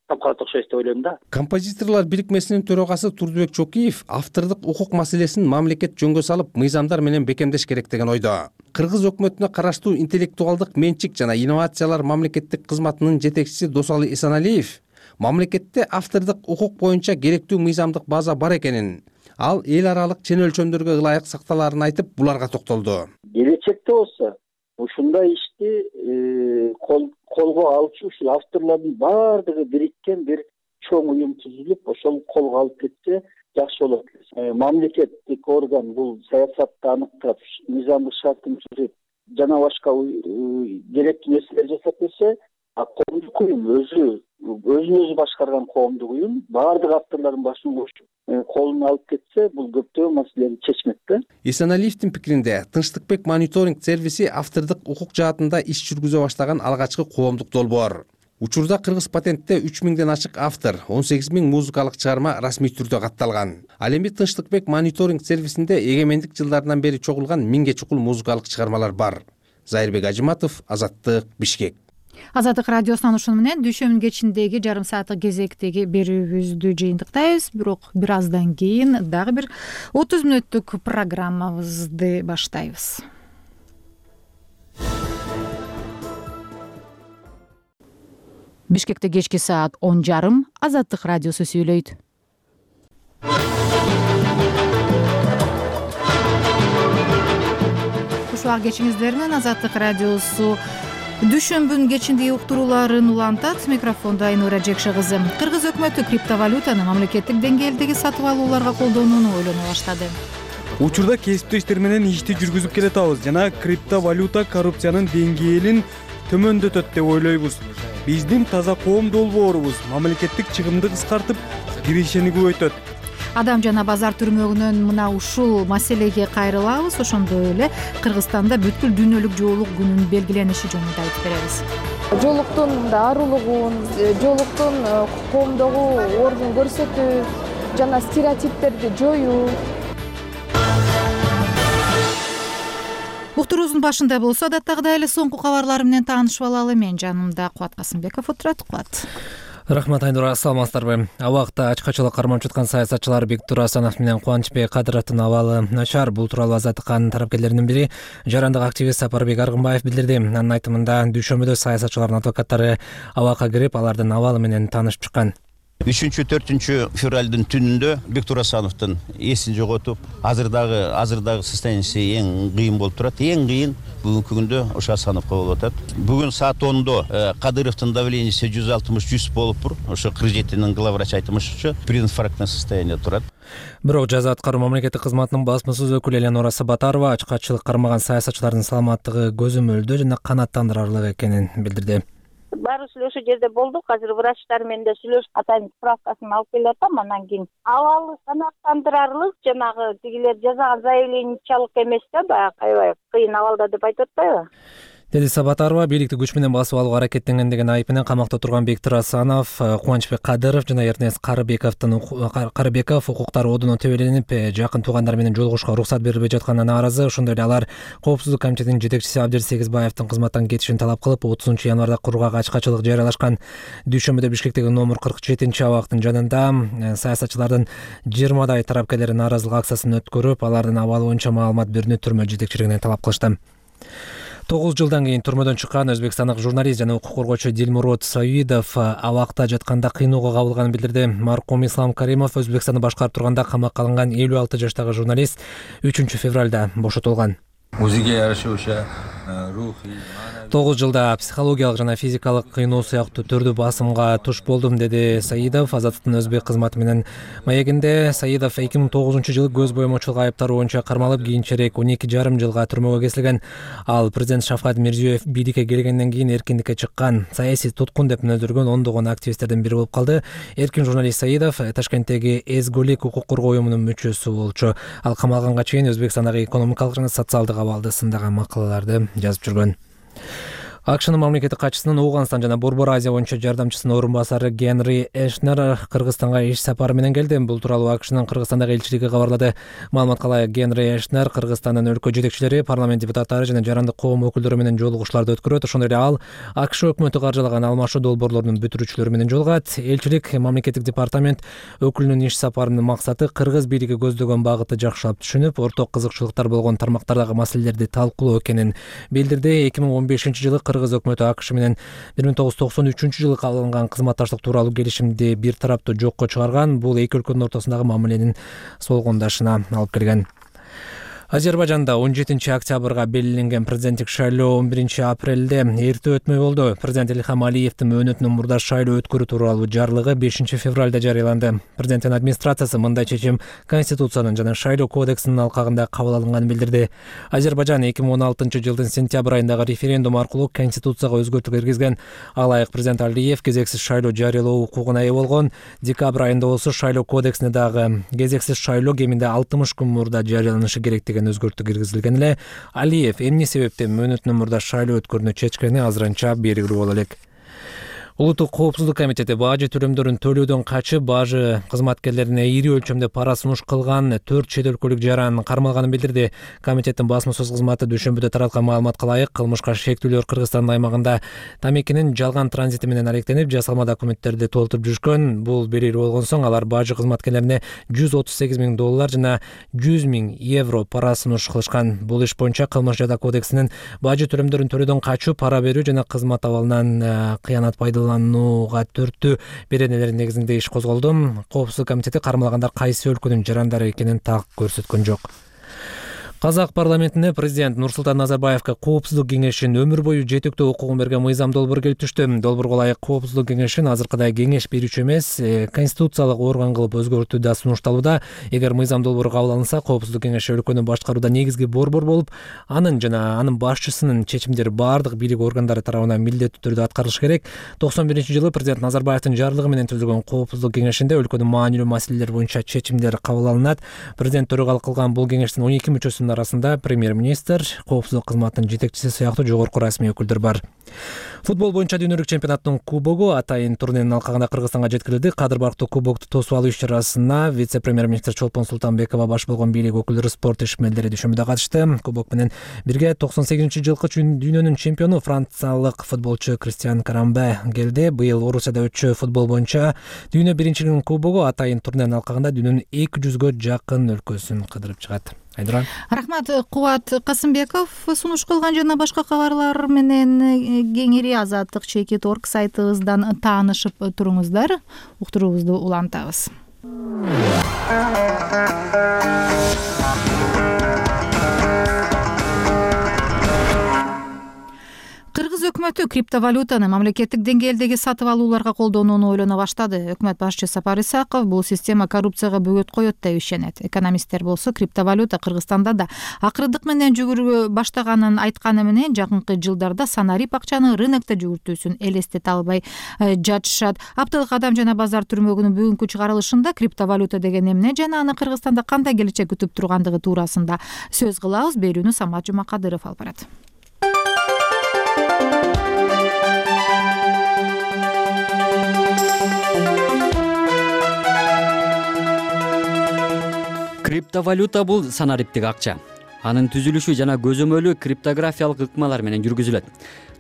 тапкалат окшойт деп ойлойм да. Композиторлор бирикмесинин төрагасы Турдубек Чокиев автордук укук маселесин мамлекет жөнгө салып, мыйзамдар менен бекемдеш керек деген ойдо. Кыргыз өкмөтүнө караштуу интеллектуалдык менчик жана инновациялар мамлекеттик кызматынын жетекчиси Досалы Эсеналиев мамлекетте автордук укук боюнча керектүү мыйзамдык база бар экенин, ал эл аралык чен өлчөмдөргө ылайык сакталаарын айтып, буларга токтолду. Келечекте болсо ушундай ишти колго алчу ушул авторлордун баардыгы бириккен бир чоң уюм түзүлүп, ошол колго алып кетсе жакшы болот. Мамлекеттик орган бул саясатты аныктап, мыйзамдык шартын түзүп, жана башка керектүү нерселер жасап берсе, коомдук уюм өзүн өзү башкарган коомдук уюм баардык авторлордун башын кошуп колуна алып кетсе, бул көптөгөн маселени чечмек да. Эсеналиевдин пикиринде Тынчтыкбек мониторинг сервиси автордук укук жаатында иш жүргүзө баштаган алгачкы коомдук долбоор. Учурда Кыргыз патентте 3000ден ашык автор, 18000 музыкалык чыгарма расмий түрдө катталган. Ал эми Тынчтыкбек мониторинг сервисинде эгемендик жылдарынан бери чогулган 1000ге чукул музыкалык чыгармалар бар. Зайырбек Ажиматов, Азаттык, Бишкек. Азаттык радиосунан ушуну менен дүйшөмбү кечиндеги жарым сааттык кезектеги берүүбүздү жыйынтыктайбыз. Бирок бир аздан кийин дагы бир 30 мүнөттүк программабызды баштайбыз. Бишкекте кечки саат 10:30 Азаттык радиосу сүйлөйт. Ушул кечиңиздер менен Азаттык радиосу дүйшөмбүнүн кечиндеги уктурууларын улантат. Микрофондо Айнура Жекше кызы. Кыргыз өкмөтү криптовалютаны мамлекеттик деңгээлдеги сатып алууларга колдонууну ойлоно баштады. Учурда кесиптештер менен ишти жүргүзүп келатабыз жана криптовалюта коррупциянын деңгээлин төмөндөтөт деп ойлойбуз. Биздин таза коом долбоорубуз мамлекеттик чыгымды кыскартып, киришени көбөйтөт. Адам жана базар түрмөгүнөн мына ушул маселеге кайрылабыз. Ошондой эле Кыргызстанда бүткүл дүйнөлүк жоолук күнүнүн белгилениши жөнүндө айтып беребиз. Жоолуктун дарылыгын, жоолуктун коомдогу ордун көрсөтүү жана стереотиптерди жоюу. Уктуруубуздун башында болсо адаттагыдай эле соңку кабарлар менен таанышып алалы. Мен жанымда Кубат Касымбеков отурат. Кубат. Рахмат Айнура, саламатсыздарбы? Абакта ачкачылык кармап жаткан саясатчылар Бектур Асанов менен Кубанычбек Кадыровдун абалы начар. Бул тууралуу Азаттыктын тарапкерлеринин бири жарандык активист Сапарбек Аргынбаев билдирди. Анын айтымында дүйшөмбүдө саясатчылардын адвокаттары абакка кирип, алардын абалы менен таанышып чыккан. 3-4 февралдын түнүндө Бектур Асановдун эсин жоготуп, азырдагы состояниясы эң кыйын болуп турат. Эң кыйын бүгүнкү күндө ошо Асановго болуп атат. Бүгүн саат 10-до Кадыровдун давлениеси 160-100 болуптур. Ошо 47-нин главврач айтымышча прединфарктный состояние турат. Бирок жаза аткаруу мамлекеттик кызматынын басмасөз өкүлү Элеонора Сабатарова ачкачылык кармаган саясатчылардын саламаттыгы көзөмөлдүү жана канааттандырарлык экенин билдирди. Баарыбыз эле ошол жерде болдук. Азыр врачтар менен да сүйлөшүп атайын справкасын алып келип атам. Андан кийин абалы канааттандырарлык, жанагы тигилер жазган заявлениячалык эмес да, баягы аябай кыйын абалда деп айтып атпайбы? Деди Сабатарова, бийликти күч менен басып алууга аракеттенген деген айып менен камакта турган Бектур Асанов, Кубанычбек Кадыров жана Эрнест Карыбеков укуктар одуна тебеленип, жакын туугандар менен жолугушууга уруксат берилбей жатканына нааразы. Ошондой эле алар Коопсуздук комитетинин жетекчиси Абдир Сегизбаевдин кызматтан кетишин талап кылып, 30-январда кургак ачкачылык жарыялашкан. Дүйшөмбүдө Бишкектеги номер 47-абактын жанында саясатчылардын 20дай тарапкерлери нааразылык акциясын өткөрүп, алардын абалы боюнча маалымат берүүнү түрмө жетекчилигинен талап кылышты. 9 жылдан кийин түрмөдөн чыккан өзбекстандык журналист жана укук коргоочу Дилмурод Саидов абакта жатканда кыйноого кабылганын билдирди. Маркум Ислам Каримов Өзбекстанды башкарып турганда камакка алынган 56 жаштагы журналист 3 февралда бошотулган. Өзүгө жараша ошо рухий 9 жылда психологиялык жана физикалык кыйноо сыяктуу түрдүү басымга туш болдум, деди Саидов. Азаттыктын өзбек кызматы менен маегинде Саидов 2009-жылы көз боемочулук айыптары боюнча кармалып, кийинчерээк 12,5 жылга түрмөгө кесилген. Ал президент Шавкат Мирзиёев бийликке келгенден кийин эркиндикке чыккан, саясий туткун деп мүнөздөргөн ондогон активисттердин бири болуп калды. Эркин журналист Саидов Ташкенттеги Эзголик укук коргоо уюмунун мүчөсү болчу. Ал камалганга чейин Өзбекстандагы экономикалык жана социалдык абалды сындаган макалаларды жазып жүргөн. АКШнын мамлекеттик катчысынын Ооганстан жана Борбор Азия боюнча жардамчысынын орун басары Генри Эшнер Кыргызстанга иш сапары менен келди. Бул тууралуу АКШнын Кыргызстандагы элчилиги кабарлады. Маалыматка ылайык, Генри Эшнер Кыргызстандын өлкө жетекчилери, парламент депутаттары жана жарандык коом өкүлдөрү менен жолугушууларды өткөрөт. Ошондой эле ал АКШ өкмөтү каржылаган алмашуу долбоорлорунун бүтүрүүчүлөрү менен жолугат. Элчилик мамлекеттик департамент өкүлүнүн иш сапарынын максаты кыргыз бийлиги көздөгөн багытты жакшылап түшүнүп, орток кызыкчылыктар болгон тармактардагы маселелерди талкуулоо экенин билдирди. 2015-жылы Кыргыз өкмөтү АКШ менен 1993-жылы кабылган кызматташтык тууралуу келишимди бир тараптуу жокко чыгарган. Бул эки өлкөнүн ортосундагы мамиленин солгондашына алып келген. Азербайжанда 17 октябрга белгиленген президенттик шайлоо 11 апрелде эрте өтмөй болду. Президент Илхам Алиевдин мөөнөтүнөн мурда шайлоо өткөрүү тууралуу жарлыгы 5 февралда жарыяланды. Президенттин администрациясы мындай чечим Конституциянын жана шайлоо кодексинин алкагында кабыл алынганын билдирди. Азербайжан 2016 жылдын сентябрь айындагы референдум аркылуу Конституцияга өзгөртүү киргизген. Алайык президент Алиев кезексиз шайлоо жарыялоо укугуна ээ болгон. Декабрь айында болсо шайлоо кодексине дагы кезексиз шайлоо кеминде 60 күн мурда жарыяланышы керек деген өзгөртүү киргизилген эле. Алиев эмне себептен мөөнөтүнөн мурда шайлоо өткөрүүнү чечкени азырынча белгилүү боло элек. Улуттук коопсуздук комитети бажы төлөмдөрүн төлөөдөн качып, бажы кызматкерлерине ири өлчөмдө пара сунуш кылган 4 чет өлкөлүк жаран кармалганын билдирди. Комитеттин басма-сөз кызматы дүйшөмбүдө тараткан маалыматка ылайык, кылмышка шектүүлөр Кыргызстандын аймагында тамекинин жалган транзити менен алектенип, жасалма документтерди толтуруп жүрүшкөн. Бул белгилүү болгон соң алар бажы кызматкерлерине $138,000 жана €100,000 пара сунуш кылышкан. Бул иш боюнча Кылмыш жаза кодексинин бажы төлөмдөрүн төлөөдөн качуу, пара берүү жана кызмат абалынан кыянат пайдаланууга төрттүү беренелери негизинде иш козголду. Коопсуздук комитети кармалгандар кайсы өлкөнүн жарандары экенин так көрсөткөн жок. Казак парламентине президент Нурсултан Назарбаевга коопсуздук кеңешин өмүр бою жетектөө укугун берген мыйзам долбоор келип түштү. Долбоорго ылайык коопсуздук кеңешин азыркыдай кеңеш берүүчү эмес, конституциялык орган кылып өзгөртүү да сунушталууда. Эгер мыйзам долбоору кабыл алынса, коопсуздук кеңеши өлкөнү башкарууда негизги борбор болуп, анын жана анын башчысынын чечимдери бардык бийлик органдары тарабынан милдеттүү түрдө аткарылышы керек. 91-жылы президент Назарбаевдин жарлыгы менен түзүлгөн коопсуздук кеңешинде өлкөнүн маанилүү маселелер боюнча чечимдер кабыл алынат. Президент төрагалык кылган бул кеңештин 12 мүчөсүнүн арасында премьер-министр, коопсуздук кызматынын жетекчиси сыяктуу жогорку расмий өкүлдөр бар. Футбол боюнча дүйнөлүк чемпионаттын кубогу атайын турниринин алкагында Кыргызстанга жеткирилди. Кадыр барктуу кубокту тосуп алуу иш-чарасына вице-премьер-министр Чолпон Султанбекова баш болгон бийлик өкүлдөрү, спорт ишмерлери дүйшөмбүдө катышты. Кубок менен бирге 98-жылкы дүйнөнүн чемпиону франциялык футболчу Кристиан Карамбе келди. Быйыл Орусияда өтчү футбол боюнча дүйнө биринчилигинин кубогу атайын турниринин алкагында дүйнөнүн 200гө жакын өлкөсүн кыдырып чыгат. Айдыран. Рахмат, Кубат Касымбеков сунуш кылган жана башка кабарлар менен кеңири Азаттык чекит орг сайтыбыздан таанышып туруңуздар. Уктуруубузду улантабыз. Кыргыз өкмөтү криптовалютаны мамлекеттик деңгээлдеги сатып алууларга колдонууну ойлоно баштады. Өкмөт башчысы Сапар Исаков бул система коррупцияга бөгөт коет деп ишенет. Экономисттер болсо криптовалюта Кыргызстанда да акырдык менен жүгүрүп баштаганын айтканы менен жакынкы жылдарда санарип акчаны рынокто жүгүртүүсүн элестете албай жатышат. Аптылык адам жана базар түрмөгүнүн бүгүнкү чыгарылышында криптовалюта деген эмне жана аны Кыргызстанда кандай келечек күтүп тургандыгы туурасында сөз кылабыз. Берүүнү Самат Жумакадыров алып барат. Криптовалюта бул санариптик акча. Анын түзүлүшү жана көзөмөлү криптографиялык ыкмалар менен жүргүзүлөт.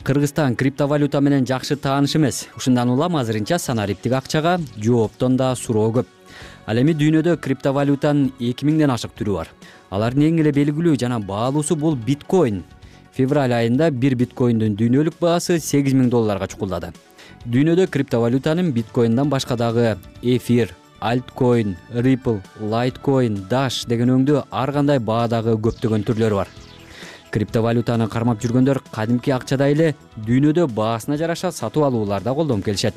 Кыргызстан криптовалюта менен жакшы тааныш эмес. Ушундан улам азырынча санариптик акчага жооптон да суроо көп. Ал эми дүйнөдө криптовалютанын 2000ден ашык түрү бар. Алардын эң эле белгилүү жана баалуусу бул биткоин. Февраль айында бир биткоиндин дүйнөлүк баасы $8000 чукулдады. Дүйнөдө криптовалютанын биткоиндан башка дагы эфир, Altcoin, Ripple, Litecoin, Dash деген өңдүү ар кандай баадагы көптөгөн түрлөрү бар. Криптовалютаны кармап жүргөндөр кадимки акчадай эле дүйнөдө баасына жараша сатып алууларда колдонуп келишет.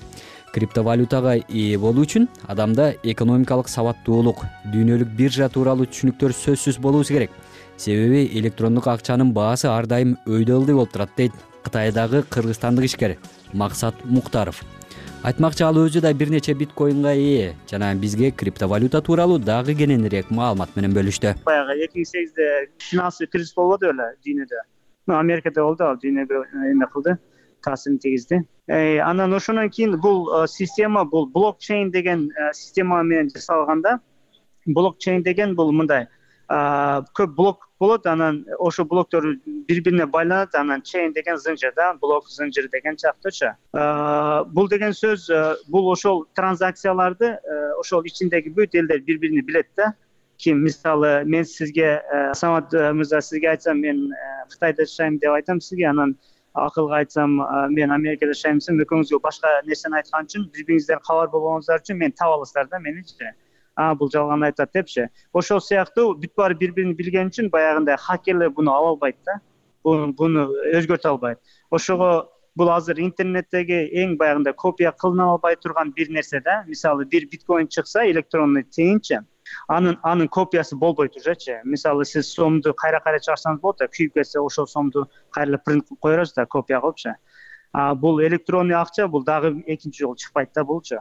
Криптовалютага ээ болуу үчүн адамда экономикалык сабаттуулук, дүйнөлүк биржа тууралуу түшүнүктөр сөзсүз болуусу керек. Себеби электрондук акчанын баасы ар дайым өйдө ылдый болуп турат дейт Кытайдагы кыргызстандык ишкер Максат Муктаров. Айтмакчы ал өзү да бир нече биткоинга ээ жана бизге криптовалюта тууралуу дагы кененирээк маалымат менен бөлүштү. Баягы 2008-де финансый кризис болбоду беле дүйнөдө. Америкада болду, ал дүйнөгө эме кылды, таасирин тийгизди. Анан ошондон кийин бул система, бул блокчейн деген система менен жасалганда, блокчейн деген бул мындай көп блок болот, анан ошо блоктор бири-бирине байланат, анан чейн деген зынжыр да, блок зынжыр деген жактычы. Бул деген сөз, бул ошол транзакцияларды ошол ичиндеги бүт элдер бири-бирин билет да. Ким мисалы мен сизге Самат мырза сизге айтсам мен Кытайда жашайм деп айтам сизге, анан акылга айтсам мен Америкада жашайм десем, экөөңүзгө башка нерсени айткан үчүн бири-бириңизден кабар болгонуңуздар үчүн мен таап аласыздар да меничи. бул жалган айтат депчи. Ошол сыяктуу бүт баары бири-бирин билген үчүн баягындай хакерлер буну ала албайт да. Буну өзгөртө албайт. Ошого бул азыр интернеттеги эң баягындай копия кылына албай турган бир нерсе да. Мисалы бир биткоин чыкса, электронный тыйынчы, анын копиясы болбойт ужечи. Мисалы сиз сомду кайра чыгарсаңыз болот да, күйүп кетсе ошол сомду кайра принт кылып кое бересиз да, копия кылыпчы. Бул электронный акча, бул дагы экинчи жолу чыкпайт да булчу.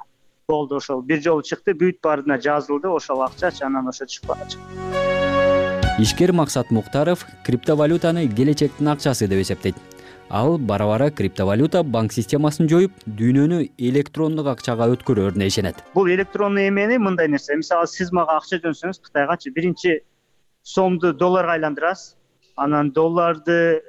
Болду, ошол бир жолу чыкты, бүт баарына жазылды ошол акчачы, анан ошо чыкпагачы. Ишкер Максат Муктаров криптовалютаны келечектин акчасы деп эсептейт. Ал бара-бара криптовалюта банк системасын жоюп, дүйнөнү электрондук акчага өткөрөрүнө ишенет. Бул электронный эмени мындай нерсе. Мисалы сиз мага акча жөнсөңүз Кытайгачы, биринчи сомду долларга айландырасыз, анан долларды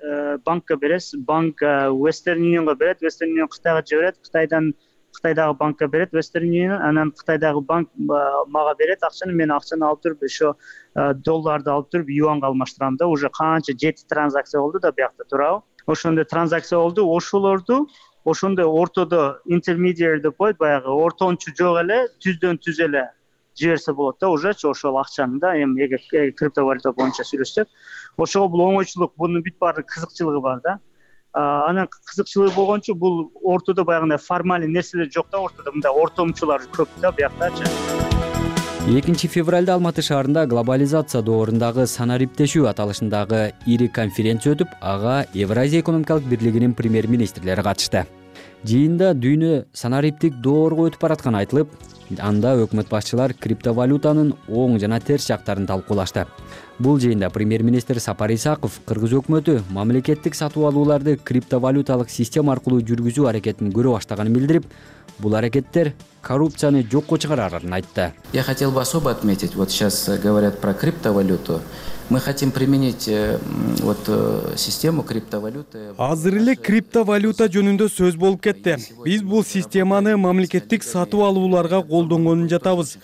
банкка бересиз, банк Western Unionга берет, Western Union Кытайга жиберет, Кытайдагы банкка берет, Western Union, анан Кытайдагы банк мага берет акчаны, мен акчаны алып туруп ошо долларды алып туруп юанга алмаштырам да. Уже канча 7 транзакция болду да биякта, туурабы? Ошондой транзакция болду, ошолорду ошондой ортодо intermediary деп коет, баягы ортончу жок эле, түздөн түз эле жиберсе болот да, ужечи ошол акчаны да. Эми эгер криптовалюта боюнча сүйлөшсөк, ошого бул оңойчулук, бунун бүт баары кызыкчылыгы бар да. Анан кызыкчылыгы болгончу бул ортодо баягындай формальный нерселер жок да, ортодо мындай ортомчулар көп да бияктачы. 2 февралда Алматы шаарында глобализация доорундагы санариптешүү аталышындагы ири конференция өтүп, ага Евразия экономикалык бирлигинин премьер-министрлери катышты. Жыйында дүйнө санариптик доорго өтүп баратканы айтылып, анда өкмөт башчылар криптовалютанын оң жана терс жактарын талкуулашты. Бул жыйында премьер-министр Сапар Исаков Кыргыз өкмөтү мамлекеттик сатып алууларды криптовалюталык система аркылуу жүргүзүү аракетин көрө баштаганын билдирип, бул аракеттер коррупцияны жокко чыгарарын айтты. Я хотел бы особо отметить, вот сейчас говорят про криптовалюту. Мы хотим применить систему криптовалюты. Азыр эле криптовалюта жөнүндө сөз болуп кетти. Биз бул системаны мамлекеттик сатып алууларга колдонгонун жатабыз.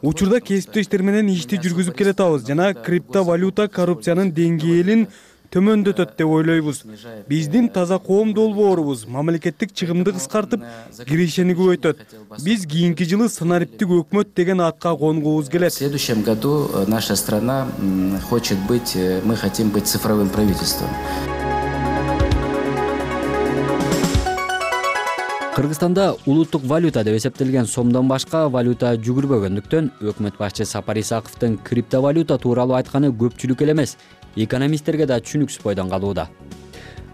Учурда кесиптештер менен ишти жүргүзүп келатабыз жана криптовалюта коррупциянын деңгээлин төмөндөтөт деп ойлойбуз. Биздин таза коом долбоорубуз мамлекеттик чыгымды кыскартып, киришени көбөйтөт. Биз кийинки жылы санариптик өкмөт деген атка конгубуз келет. В следующем году наша страна хочет быть, мы хотим быть цифровым правительством. Кыргызстанда улуттук валюта деп эсептелген сомдон башка валюта жүгүрбөгөндүктөн өкмөт башчы Сапар Исаковдун криптовалюта тууралуу айтканы көпчүлүк эле эмес, экономисттерге да түшүнүксүз бойдон калууда.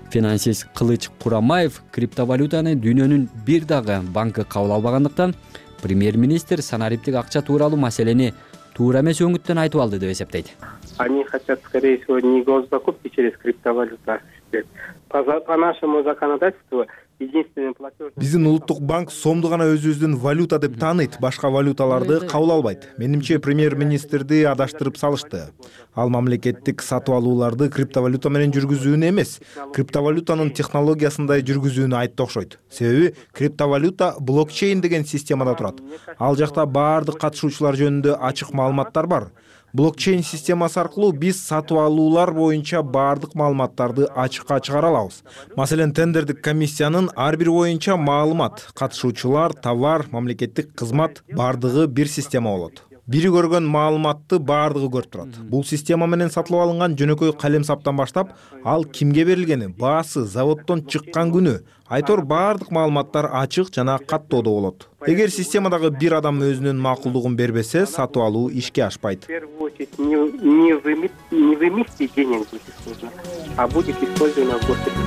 Финансист Кылыч Курамаев криптовалютаны дүйнөнүн бир дагы банкы кабыл албагандыктан премьер-министр санариптик акча тууралуу маселени туура эмес өңүттөн айтып алды деп эсептейт. Они хотят, скорее всего, не госзакупки через криптовалюту осуществлять. По нашему законодательству единственный платеж... Биздин улуттук банк сомду гана өзүбүздүн валюта деп тааныйт, башка валюталарды кабыл албайт. Менимче премьер-министрди адаштырып салышты. Ал мамлекеттик сатып алууларды криптовалюта менен жүргүзүүнү эмес, криптовалютанын технологиясындай жүргүзүүнү айтты окшойт. Себеби криптовалюта блокчейн деген системада турат. Ал жакта баардык катышуучулар жөнүндө ачык маалыматтар бар. Блокчейн системасы аркылуу биз сатып алуулар боюнча баардык маалыматтарды ачыкка чыгара алабыз. Маселен, тендердик комиссиянын ар бир боюнча маалымат, катышуучулар, товар, мамлекеттик кызмат баардыгы бир система болот. Бири көргөн маалыматты баардыгы көрүп турат. Бул система менен сатылып алынган жөнөкөй калем саптан баштап, ал кимге берилгени, баасы, заводдон чыккан күнү, айтор баардык маалыматтар ачык жана каттоодо болот. Эгер системадагы бир адам өзүнүн макулдугун бербесе, сатып алуу ишке ашпайт. В первую очередь не в эмиссии денег будет использовано, а будет использовано в госпитале.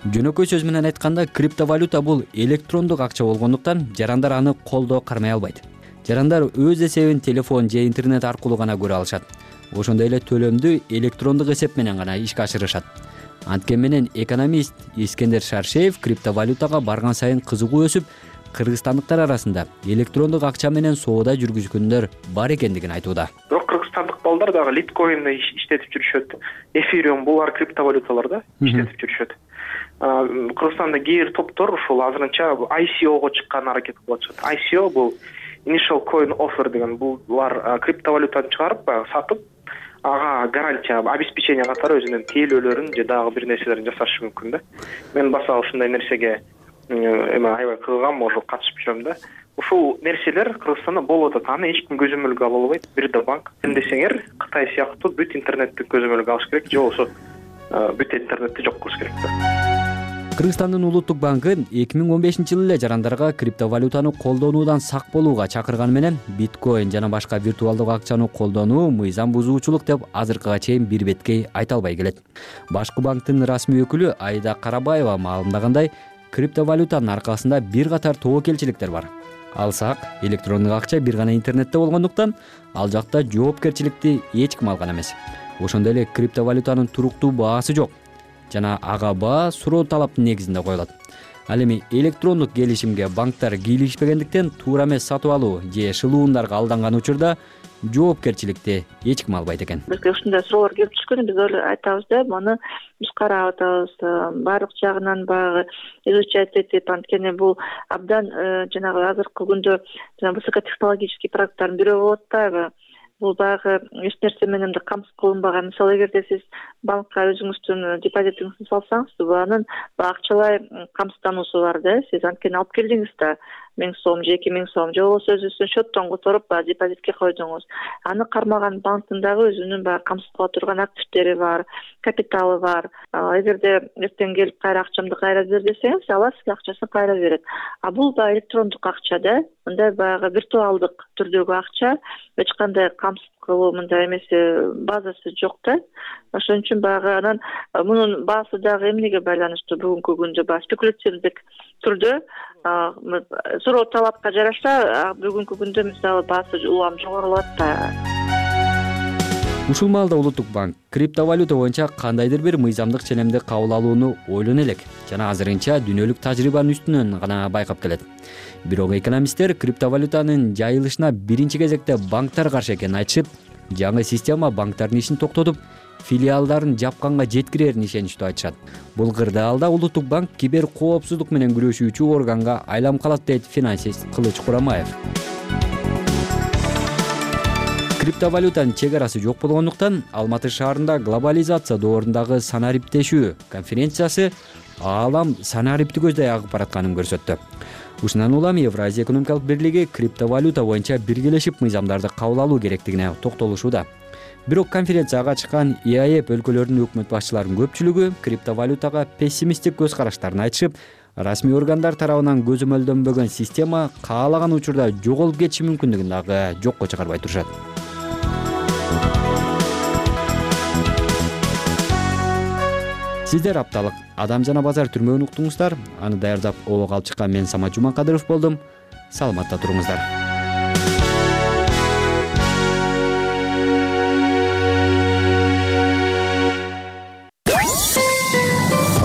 Жөнөкөй сөз менен айтканда, криптовалюта бул электрондук акча болгондуктан жарандар аны колдоо кармай албайт. Жарандар өз эсебин телефон же интернет аркылуу гана көрө алышат. Ошондой эле төлөмдү электрондук эсеп менен гана ишке ашырышат. Анткени менен экономист Искендер Шаршеев криптовалютага барган сайын кызыгуу өсүп, кыргызстандыктар арасында электрондук акча менен соода жүргүзгөндөр бар экендигин айтууда. Бирок кыргызстандык балдар дагы литкоинди иштетип жүрүшөт. Эфириум булар криптовалюталар да иштетип жүрүшөт. Кыргызстанда кээ бир топтор ушул азырынча ICOго чыккан аракет кылып атышат. ICO бул Initial Coin Offer деген, булар криптовалютаны чыгарып, сатып, ага гарантия, обеспечение катары өзүнүн тейлөөлөрүн же дагы бир нерселерин жасашы мүмкүн да. Мен баса ушундай нерсеге аябай кызыгам, ошо катышып жүрөм да. ушул нерселер Кыргызстанда болуп атат. Аны эч ким көзөмөлгө ала албайт. Бир да банк. Ким десеңер, Кытай сыяктуу бүт интернетти көзөмөлгө алыш керек, же болбосо бүт интернетти жок кылыш керек да. Кыргызстандын улуттук банкы 2015-жылы эле жарандарга криптовалютаны колдонуудан сак болууга чакырганы менен биткоин жана башка виртуалдык акчаны колдонуу мыйзам бузуучулук деп азыркыга чейин бир беткей айта албай келет. Башкы банктын расмий өкүлү Айда Карабаева маалымдагандай, криптовалютанын аркасында бир катар тобокелчиликтер бар. Алсак, электрондук акча бир гана интернетте болгондуктан, ал жакта жоопкерчиликти эч ким алган эмес. Ошондой эле криптовалютанын туруктуу баасы жок жана ага баа суроо талаптын негизинде коюлат. Ал эми электрондук келишимге банктар кийлигишпегендиктен туура эмес сатып алуу же шылуундарга алданган учурда жоопкерчиликти эч ким албайт экен. Бизге ушундай суроолор келип түшкөн, биз айтабыз да, муну биз карап атабыз, баардык жагынан баягы изучать этип, анткени бул абдан жанагы азыркы күндө высокотехнологический продукттардын бирөө болуп атпайбы? Бул баягы эч нерсе менен да камсыз кылынбаган. Мисалы, эгерде сиз банкка өзүңүздүн депозитиңизди салсаңыз, анын акчалай камсыздануусу бар да. Сиз анткени алып келдиңиз да 1000 сом же 2000 сом, же болбосо өзүңүздүн счеттон которуп депозитке койдуңуз. Аны кармаган банктын дагы өзүнүн баягы камсыз кыла турган активдери бар, капиталы бар. Эгерде эртең келип кайра акчамды кайра бер десеңиз, алар сизге акчасын кайра берет. А бул баягы электрондук акча да, мындай баягы виртуалдык түрдөгү акча, эч кандай камсыз кылуу мындай эмес базасы жок да. Ошон үчүн баягы анан мунун баасы дагы эмнеге байланыштуу бүгүнкү күндө баягы спекулятивдик түрдө суроо талапка жараша бүгүнкү күндө мисалы баасы улам жогорулап атпайбы. Ушул маалда улуттук банк криптовалюта боюнча кандайдыр бир мыйзамдык ченемди кабыл алууну ойлоно элек жана азырынча дүйнөлүк тажрыйбанын үстүнөн гана байкап келет. Бирок экономисттер криптовалютанын жайылышына биринчи кезекте банктар каршы экенин айтышып, жаңы система банктардын ишин токтотуп, филиалдарын жапканга жеткирерин ишеничтүү айтышат. Бул кырдаалда улуттук банк кибер коопсуздук менен күрөшүүчү органга айланып калат дейт финансист Кылыч Курамаев. Криптовалютанын чек арасы жок болгондуктан Алматы шаарында глобализация доорундагы санариптешүү конференциясы аалам санарипти көздөй агып баратканын көрсөттү. Ушундан улам Евразия экономикалык бирлиги криптовалюта боюнча биргелешип мыйзамдарды кабыл алуу керектигине токтолушууда. Бирок конференцияга чыккан ИАЭП өлкөлөрүнүн өкмөт башчыларынын көпчүлүгү криптовалютага пессимисттик көз караштарын айтышып, расмий органдар тарабынан көзөмөлдөнбөгөн система каалаган учурда жоголуп кетиши мүмкүндүгүн дагы жокко чыгарбай турушат. Сиздер апталык Адам жана базар түрмөгүн уктуңуздар. Аны даярдап обого алып чыккан мен Самат Жумакадыров болдум. Саламатта туруңуздар.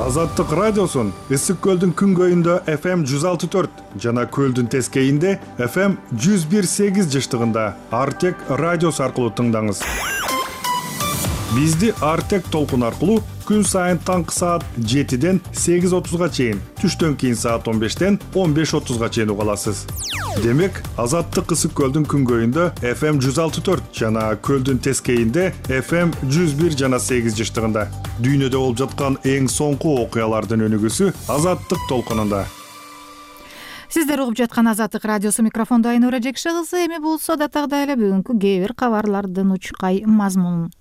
Азаттык радиосун Ысык көлдүн күнгөйүндө FM 106.4 жана көлдүн тескейинде FM 101.8 жыштыгында Артек радиосу аркылуу тыңдаңыз. Бизди Артек толкун аркылуу күн сайын таңкы саат 7ден 8:30га чейин, түштөн кийин саат 15ден 15:30га чейин уга аласыз. Демек, Азаттык Ысык көлдүн күнгөйүндө FM 106.4 жана көлдүн тескейинде FM 101 жана 8 жыштыгында. Дүйнөдө болуп жаткан эң соңку окуялардын өнүгүүсү Азаттык толкунунда. Сиздер угуп жаткан Азаттык радиосу, микрофондо Айнура Жекши кызы. Эми болсо да тагда эле бүгүнкү кээ бир кабарлардын учкай мазмунун.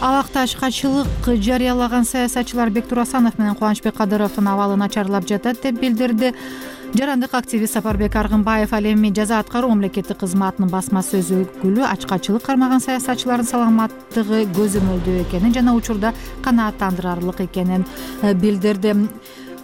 Алакташкачылык жарыялаган саясатчылар Бектур Асанов менен Кубанычбек Кадыровдун абалы начарлап жатат деп билдирди. Жарандык активист Сапарбек Аргынбаев ал эми жаза аткаруу мамлекеттик кызматынын басма сөз өкүлү ачкачылык кармаган саясатчылардын саламаттыгы көзөмөлдөө экенин жана учурда канааттандырарлык экенин билдирди.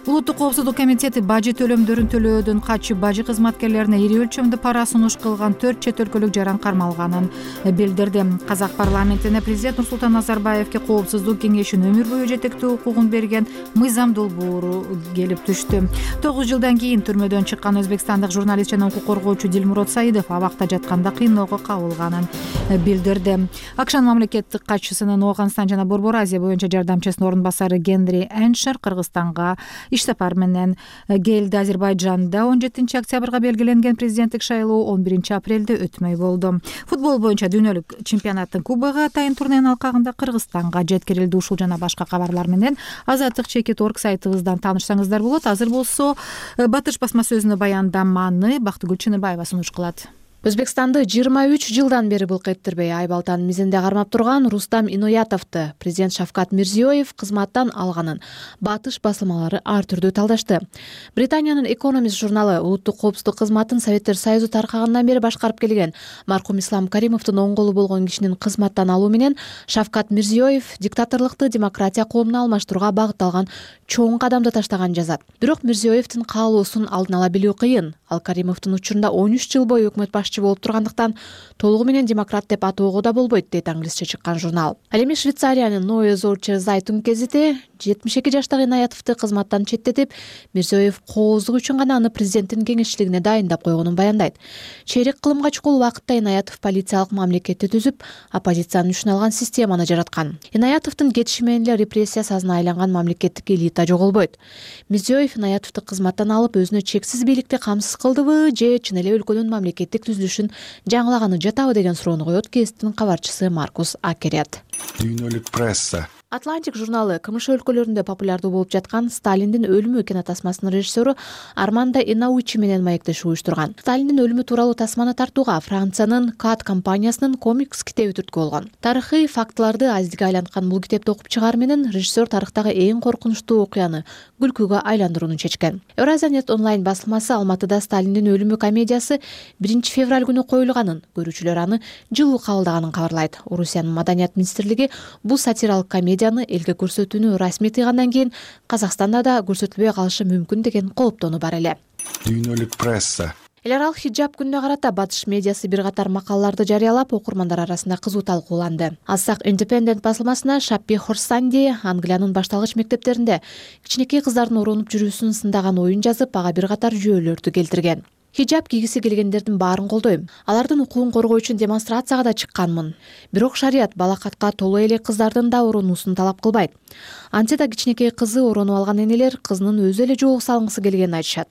Улуттук коопсуздук комитети бажы төлөмдөрүн төлөөдөн качып бажы кызматкерлерине ири өлчөмдө пара сунуш кылган 4 чет өлкөлүк жаран кармалганын билдирди. Казак парламентине президент Нурсултан Назарбаевке коопсуздук кеңешинин өмүр бою жетектөө укугун берген мыйзам долбоору келип түштү. 9 жылдан кийин түрмөдөн чыккан өзбекстандык журналист жана укук коргоочу Дилмурод Саидов абакта жатканда кыйноого кабылганын билдирди. АКШнын мамлекеттик катчысынын Ооганстан жана Борбор Азия боюнча жардамчысынын орун басары Генри Эншер Кыргызстанга иш сапар менен келди. Азербайжанда 17 октябрга белгиленген президенттик шайлоо 11 апрелде өтмөй болду. Футбол боюнча дүйнөлүк чемпионаттын кубогу атайын турненин алкагында Кыргызстанга жеткирилди. Ушул жана башка кабарлар менен Азаттык.org сайтыбыздан таанышсаңыздар болот. Азыр болсо Батыш басма сөзүнө баяндаманы Бактыгүл Чыныбаева сунуш кылат. Өзбекстанды 23 жылдан бери булкеттирбей Айбалтанын мизинде кармап турган Рустам Иноятовду президент Шавкат Мирзиёев кызматтан алганын Батыш басылмалары ар түрдүү талдашты. Британиянын Economist журналы улуттук коопсуздук кызматын Советтер Союзу таркагандан бери башкарып келген маркум Ислам Каримовдун оң колу болгон кишинин кызматтан алуу менен Шавкат Мирзиёев диктаторлукту демократия коомуна алмаштырууга багытталган чоң кадамды таштаган жазат. Бирок Мирзиёевдин каалоосун алдын ала билүү кыйын. Ал Каримовдун учурунда 13 жыл бою өкмөт башчы болуп тургандыктан толугу менен демократ деп атоого да болбойт, дейт англисче чыккан журнал. Ал эми Швейцариянын Neue Zürcher Zeitung гезити 72 жаштагы Иноятовду кызматтан четтетип, Мирзиёев кооздук үчүн гана аны президенттин кеңешчилигине дайындап койгонун баяндайт. Чейрек кылымга чукул убакытта Иноятов полициялык мамлекетти түзүп, оппозициянын үчүн алган системаны жараткан. Иноятовдун кетиши менен эле репрессия сазына айланган мамлекеттик элита жоголбойт. Мирзиёев Иноятовду кызматтан алып, өзүнө чексиз бийликти камсыз кылдыбы же чын эле өлкөнүн мамлекеттик түзүлүшүн жаңылаганы жатабы деген суроону коет гезиттин кабарчысы Маркус Акерят. Дүйнөлүк пресса. Атлантик журналы КМШ өлкөлөрүндө популярдуу болуп жаткан Сталиндин өлүмү кинотасмасынын режиссеру Армандо Инаучи менен маектешип уюштурган. Сталиндин өлүмү тууралуу тасманы тартууга Франциянын КАТ компаниясынын комикс китеби түрткү болгон. Тарыхый фактыларды азизге айланткан бул китепти окуп чыгаар менен режиссер тарыхтагы эң коркунучтуу окуяны күлкүгө айландырууну чечкен. Евразия.нет онлайн басылмасы Алматыда Сталиндин өлүмү комедиясы 1 февраль күнү коюлганын, көрүүчүлөр аны жылуу кабылдаганын кабарлайт. Орусиянын маданият министрлиги бул сатиралык комедияны элге көрсөтүүнү расмий тыйгандан кийин Казакстанда да көрсөтүлбөй калышы мүмкүн деген кооптонуу бар эле. Дүйнөлүк пресса. Эл аралык хиджаб күнүнө карата Батыш медиасы бир катар макалаларды жарыялап, окурмандар арасында кызуу талкууланды. Алсак Independent басылмасына Шаппи Хорсанди Англиянын башталгыч мектептеринде кичинекей кыздардын оронуп жүрүүсүн сындаган оюн жазып, ага бир катар жүйөлөрдү келтирген. Хиджаб кийгиси келгендердин баарын колдойм. Алардын укугун коргоо үчүн демонстрацияга да чыкканмын. Бирок шарият балакатка толуу эле кыздардын да оронуусун талап кылбайт. Антсе да кичинекей кызы оронуп алган энелер кызынын өзү эле жоого салгысы келгенин айтышат.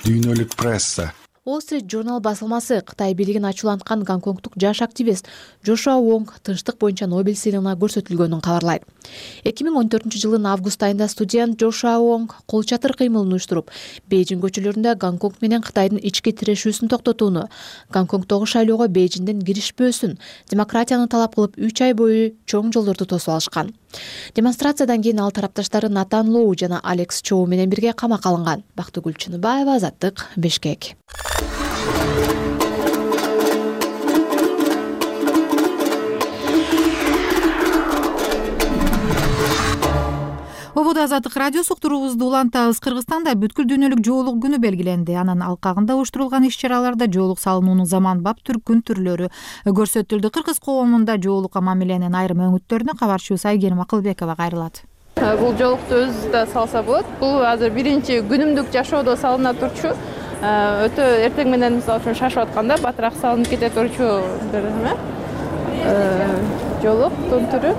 Дүйнөлүк пресса. Wall Street Journal басылмасы Кытай бийлигин ачууланткан гонконгдук жаш активист Джошуа Вонг тынчтык боюнча Нобель сыйлыгына көрсөтүлгөнүн кабарлайт. 2014-жылдын август айында студент Джошуа Вонг кол чатыр кыймылын уюштуруп, Бейжиң көчөлөрүндө Гонконг менен Кытайдын ички тирешүүсүн токтотууну, Гонконгдогу шайлоого Бейжиңден киришпөөсүн, демократияны талап кылып 3 ай бою чоң жолдорду тосуп алышкан. Демонстрациядан кийин ал тарапташтары Натан Лоу жана Алекс Чоу менен бирге камакка алынган. Бактыгүл Чыныбаева, Азаттык, Бишкек. Ободо Азаттык радиосу уктуруубузду улантабыз. Кыргызстанда бүткүл дүйнөлүк жоолук күнү белгиленди. Анын алкагында уюштурулган иш-чараларда жоолук салынуунун заманбап күн түрлөрү көрсөтүлдү. Кыргыз коомунда жоолукка мамиленин айрым өңүттөрүнө кабарчыбыз Айгерим Акылбекова кайрылат. Бул жоолукту өзү да салса болот. Бул азыр биринчи күнүмдүк жашоодо салына турчу. Өтө эртең менен мисалы үчүн шашып атканда батыраак салынып кете турчу бир жоолуктун түрү.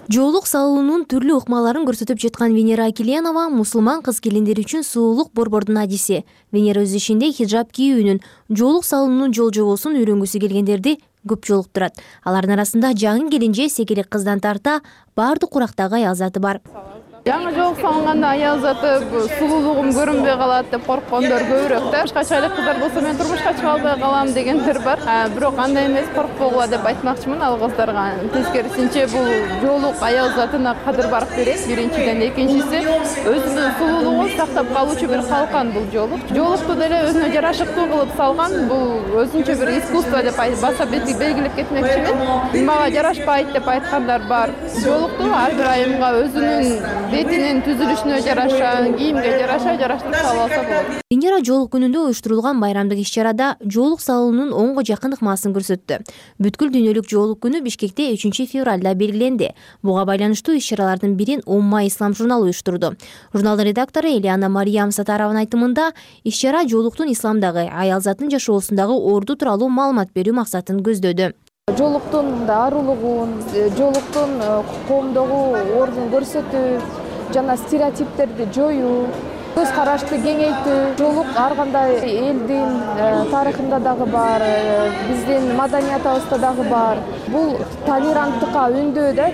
Жоолук салуунун түрлүү ыкмаларын көрсөтүп жаткан Венера Акиленова мусулман кыз келиндер үчүн суулук борбордун адиси. Венера өз ишинде хиджаб кийүүнүн, жоолук салуунун жол жобосун үйрөнгүсү келгендерди көп жолуктурат. Алардын арасында жаңы келинже секелек кыздан тарта баардык курактагы аял заты бар. Жаңы жоолук салынганда аял заты сулуулугум көрүнбөй калат деп корккондор көбүрөөк да. Качкайлык кыздар болсо мен турмушка чыга албай калам дегендер бар. Бирок андай эмес, коркпогула деп айтмакчымын ал кыздарга. Тескерисинче бул жоолук аял затына кадыр барк берет. Биринчиден, экинчиси өзүнүн сулуулугун сактап калуучу бир калкан бул жоолук. Жоолукту деле өзүнө жарашыктуу кылып салган. Бул өзүнчө бир искусство деп баса белгилеп кетмекчимин. Мага жарашпайт деп айткандар бар. Жоолукту ар бир айымга өзүнүн бетинин түзүлүшүнө жараша, кийимге жараша жараштырып салып алса болот. Венера жоолук күнүндө уюштурулган байрамдык иш-чарада жоолук салуунун онго жакын ыкмасын көрсөттү. Бүткүл дүйнөлүк жоолук күнү Бишкекте 3 февралда белгиленди. Буга байланыштуу иш-чаралардын бирин Умма Ислам журналы уюштурду. Журналдын редактору Элиана Мариям Сатарованын айтымында, иш-чара жоолуктун исламдагы аял затын жашоосундагы орду тууралуу маалымат берүү максатын көздөдү. Жоолуктун дарулугун, жоолуктун коомдогу ордун көрсөтүү жана стереотиптерди жоюу, көз карашты кеңейтүү, жоолук ар кандай элдин тарыхында дагы бар, биздин маданиятыбызда дагы бар. Бул толеранттыкка үндөө да.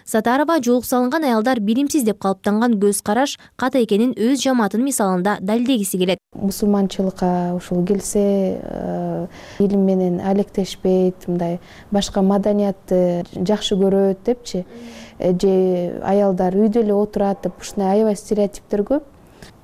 Сатарова жоолук салынган аялдар билимсиз деп калыптанган көз караш ката экенин өз жамаатынын мисалында далилдегиси келет. Мусулманчылыкка ушул келсе, илим менен алектешпейт, мындай башка маданиятты жакшы көрөт депчи, же аялдар үйдө эле отурат деп ушундай аябай стереотиптер көп.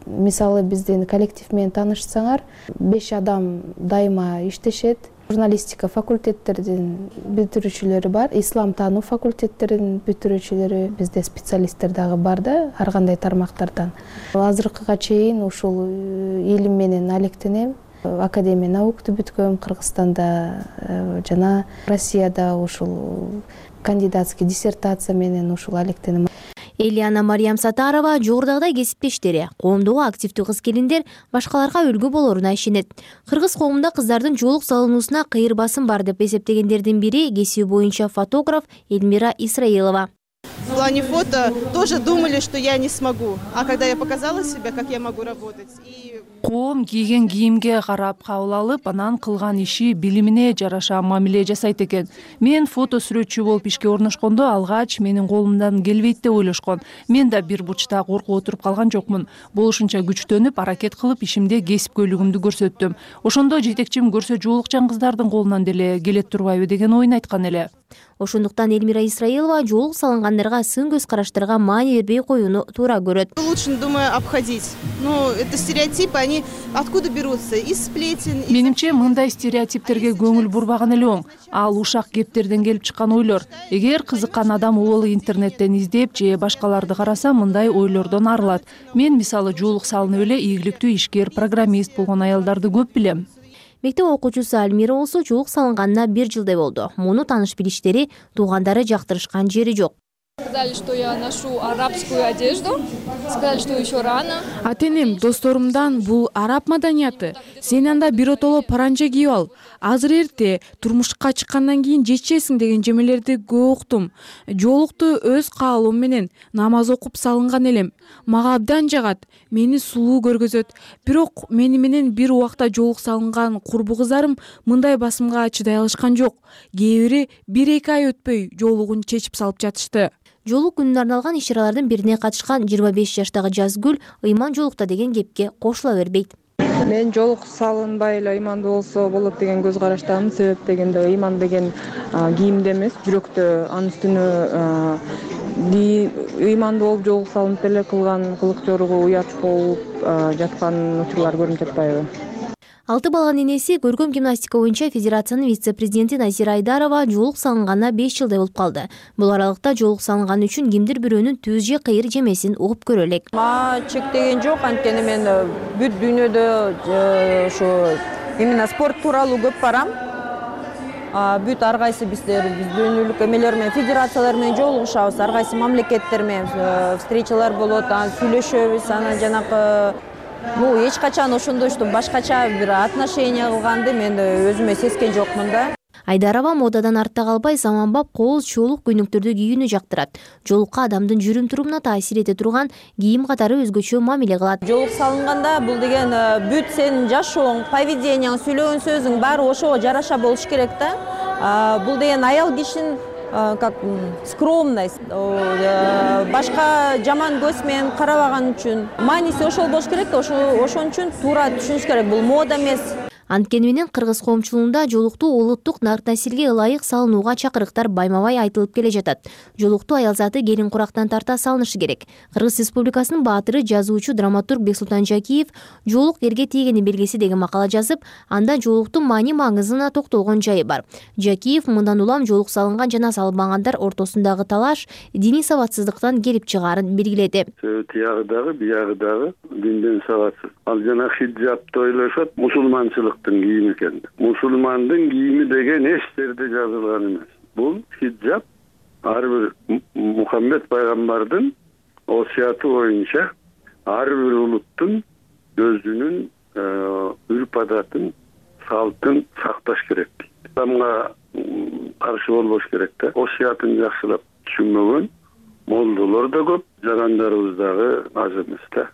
Мисалы биздин коллектив менен таанышсаңар, 5 адам дайыма иштешет. Журналистика факультеттердин бүтүрүүчүлөрү бар, ислам таануу факультеттеринин бүтүрүүчүлөрү, бизде специалисттер дагы бар да, ар кандай тармактардан. Азыркыга чейин ушул илим менен алектенем. Академия наукту бүткөм Кыргызстанда жана Россияда ушул кандидатский диссертация менен ушул алектенем. Элиана Мариям Сатарова жогорудагыдай кесиптештери, коомдогу активдүү кыз келиндер башкаларга үлгү болоруна ишенет. Кыргыз коомунда кыздардын жоолук салынуусуна кыйыр басым бар деп эсептегендердин бири кесиби боюнча фотограф Эльмира Исраилова. В плане фото тоже думали, что я не смогу. А когда я показала себя, как я могу работать. Коом кийген кийимге карап кабыл алып, анан кылган иши билимине жараша мамиле жасайт экен. Мен фото сүрөтчү болуп ишке орношкондо алгач менин колумдан келбейт деп ойлошкон. Мен да бир бурчта коркуп отуруп калган жокмун. Болушунча күчтөнүп, аракет кылып ишимде кесипкөйлүгүмдү көрсөттүм. Ошондо жетекчим көрсө жоолукчан кыздардын колунан деле келет турбайбы деген оюн айткан эле. Ошондуктан Эльмира Исраилова жоолук салынгандарга сын көз караштарга маани бербей коюуну туура көрөт. Лучше, думаю, обходить. Ну, это стереотипы, они откуда берутся? Из сплетен. Менимче, мындай стереотиптерге көңүл бурбаган эле оң. Ал ушак кептерден келип чыккан ойлор. Эгер кызыккан адам ол интернеттен издеп же башкаларды караса, мындай ойлордон арылат. Мен мисалы жоолук салынып эле ийгиликтүү ишкер, программист болгон аялдарды көп билем. Мектеп окуучусу Альмира болсо жоолук салынганына 1 жылдай болду. Муну тааныш билиштери, туугандары жактырышкан жери жок. Сказали, что я ношу арабскую одежду. Сказали, что еще рано. Атенем досторумдан бул араб маданияты. Сен анда биротоло паранжа кийип ал. Азыр эрте турмушка чыккандан кийин жечесиң деген жемелерди көп уктум. Жоолукту өз каалоом менен намаз окуп салынган элем. Мага абдан жагат. Мени сулуу көргөзөт. Бирок мени менен бир убакта жоолук салынган курбу кыздарым мындай басымга чыдай алышкан жок. Кээ бири 1-2 ай өтпөй жоолугун чечип салып жатышты. Жоолук күнүнө арналган иш-чаралардын бирине катышкан 25 жаштагы Жазгүл ыйман жоолукта деген кепке кошула бербейт. Мен жоолук салынбай эле ыймандуу болсо болот деген көз караштамын. Себеп дегенде ыйман деген кийимде эмес, жүрөктө, анын үстүнө ыймандуу болуп жоолук салынып эле кылган кылык жоругу уят болуп жаткан учурлар көрүнүп жатпайбы? 6 баланын энеси көркөм гимнастика боюнча федерациянын вице-президенти Назира Айдарова жоолук салынганына 5 жылдай болуп калды. Бул аралыкта жоолук салынганы үчүн кимдир бирөөнүн түз же кыйыр жемесин угуп көрө элек. Мага чектеген жок, анткени мен бүт дүйнөдө ушу именно спорт тууралуу көп барам. Бүт ар кайсы биз дүйнөлүк эмелер менен, федерациялар менен жолугушабыз, ар кайсы мамлекеттер менен встречалар болот, сүйлөшөбүз, анан жанакы эч качан ошондой что башкача бир отношение кылганды мен өзүмө сезген жокмун да. Айдарова модадан артта калбай заманбап кооз жоолук көйнөктөрдү кийүүнү жактырат. Жоолукка адамдын жүрүм-турумуна таасир эте турган кийим катары өзгөчө мамиле кылат. Жоолук салынганда бул деген бүт сенин жашооң, поведенияң, сүйлөгөн сөзүң баары ошого жараша болуш керек да. Бул деген аял кишинин как скромность, башка жаман көз менен карабаган үчүн мааниси ошол болуш керек да, ошон үчүн туура түшүнүш керек, бул мода эмес. Анткени менен кыргыз коомчулугунда жоолукту улуттук насилге ылайык салынууга чакырыктар байма-бай айтылып келе жатат. Жоолукту аял заты келин курактан тарта салынышы керек. Кыргыз Республикасынын баатыры, жазуучу, драматург Бексултан Жакиев жоолук эрге тийгени белгиси деген макала жазып, анда жоолуктун маани-маңызына токтолгон жайы бар. Жакиев мындан улам жоолук салынган жана салынбагандар ортосундагы талаш диний сабатсыздыктан келип чыгаарын белгиледи. Тиягы дагы, биягы дагы динден сабатсыз. Ал жана хиджабты ойлошот, мусулманчылык кийими экен. Мусулмандын кийими деген эч жерде жазылган эмес. Бул хиджаб ар бир Мухаммед пайгамбардын осуяты боюнча ар бир улуттун өзүнүн үрп-адатын, салтын сакташ керек. Исламга каршы болбош керек да. Осуятын жакшылап түшүнбөгөн молдолор да көп, жарандарыбыз дагы аз эмес да.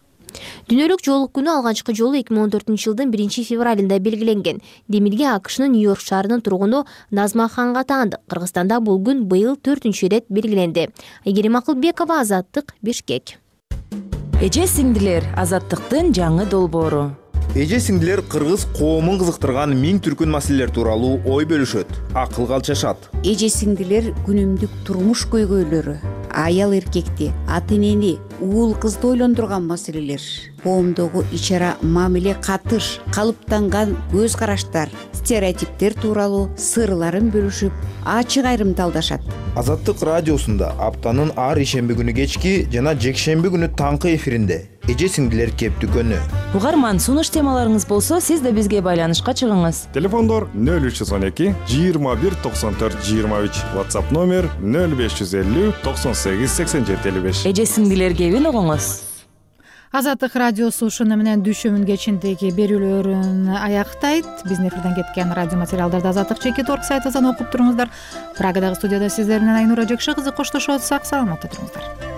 Дүйнөлүк жоолук күнү алгачкы жолу 2014-жылдын 1-февралында белгиленген. Демирге АКШнын Нью-Йорк шаарынын тургуну Назма Ханга таандык. Кыргызстанда бул күн быйыл 4-рет белгиленди. Айгерим Акылбекова, Азаттык, Бишкек. Эже сиңдилер, азаттыктын жаңы долбоору. Эже сиңдилер кыргыз коомун кызыктырган миң түркүн маселелер тууралуу ой бөлүшөт, акыл калчашат. Эже сиңдилер күнүмдүк турмуш көйгөйлөрү, аял эркекти, ата энени, уул кызды ойлондурган маселелер, коомдогу ич-ара мамиле, катыш, калыптанган көз караштар, стереотиптер тууралуу сырларын бөлүшүп, ачык айрымдалдашат. Азаттык радиосунда аптанын ар ишемби күнү кечки жана жекшемби күнү таңкы эфиринде эже сиңдилер кептүкөнү. Угарман, сунуш темаларыңыз болсо, сиз да бизге байланышка чыгыңыз. Телефондор 0312 21 94 23, WhatsApp номер 0550 98 87 55. Эже сиңдилер кебин угуңуз. Азаттык радиосу ушуну менен düşүмүн кечиндеги берүүлөрүн аяктайт. Биздин эфирден кеткен радио материалдарды Азаттык.org сайтынан окуп туруңуздар. Прагадагы студияда сиздер менен Айнура Жакшы кызы коштошот. Сак саламатта туруңуздар.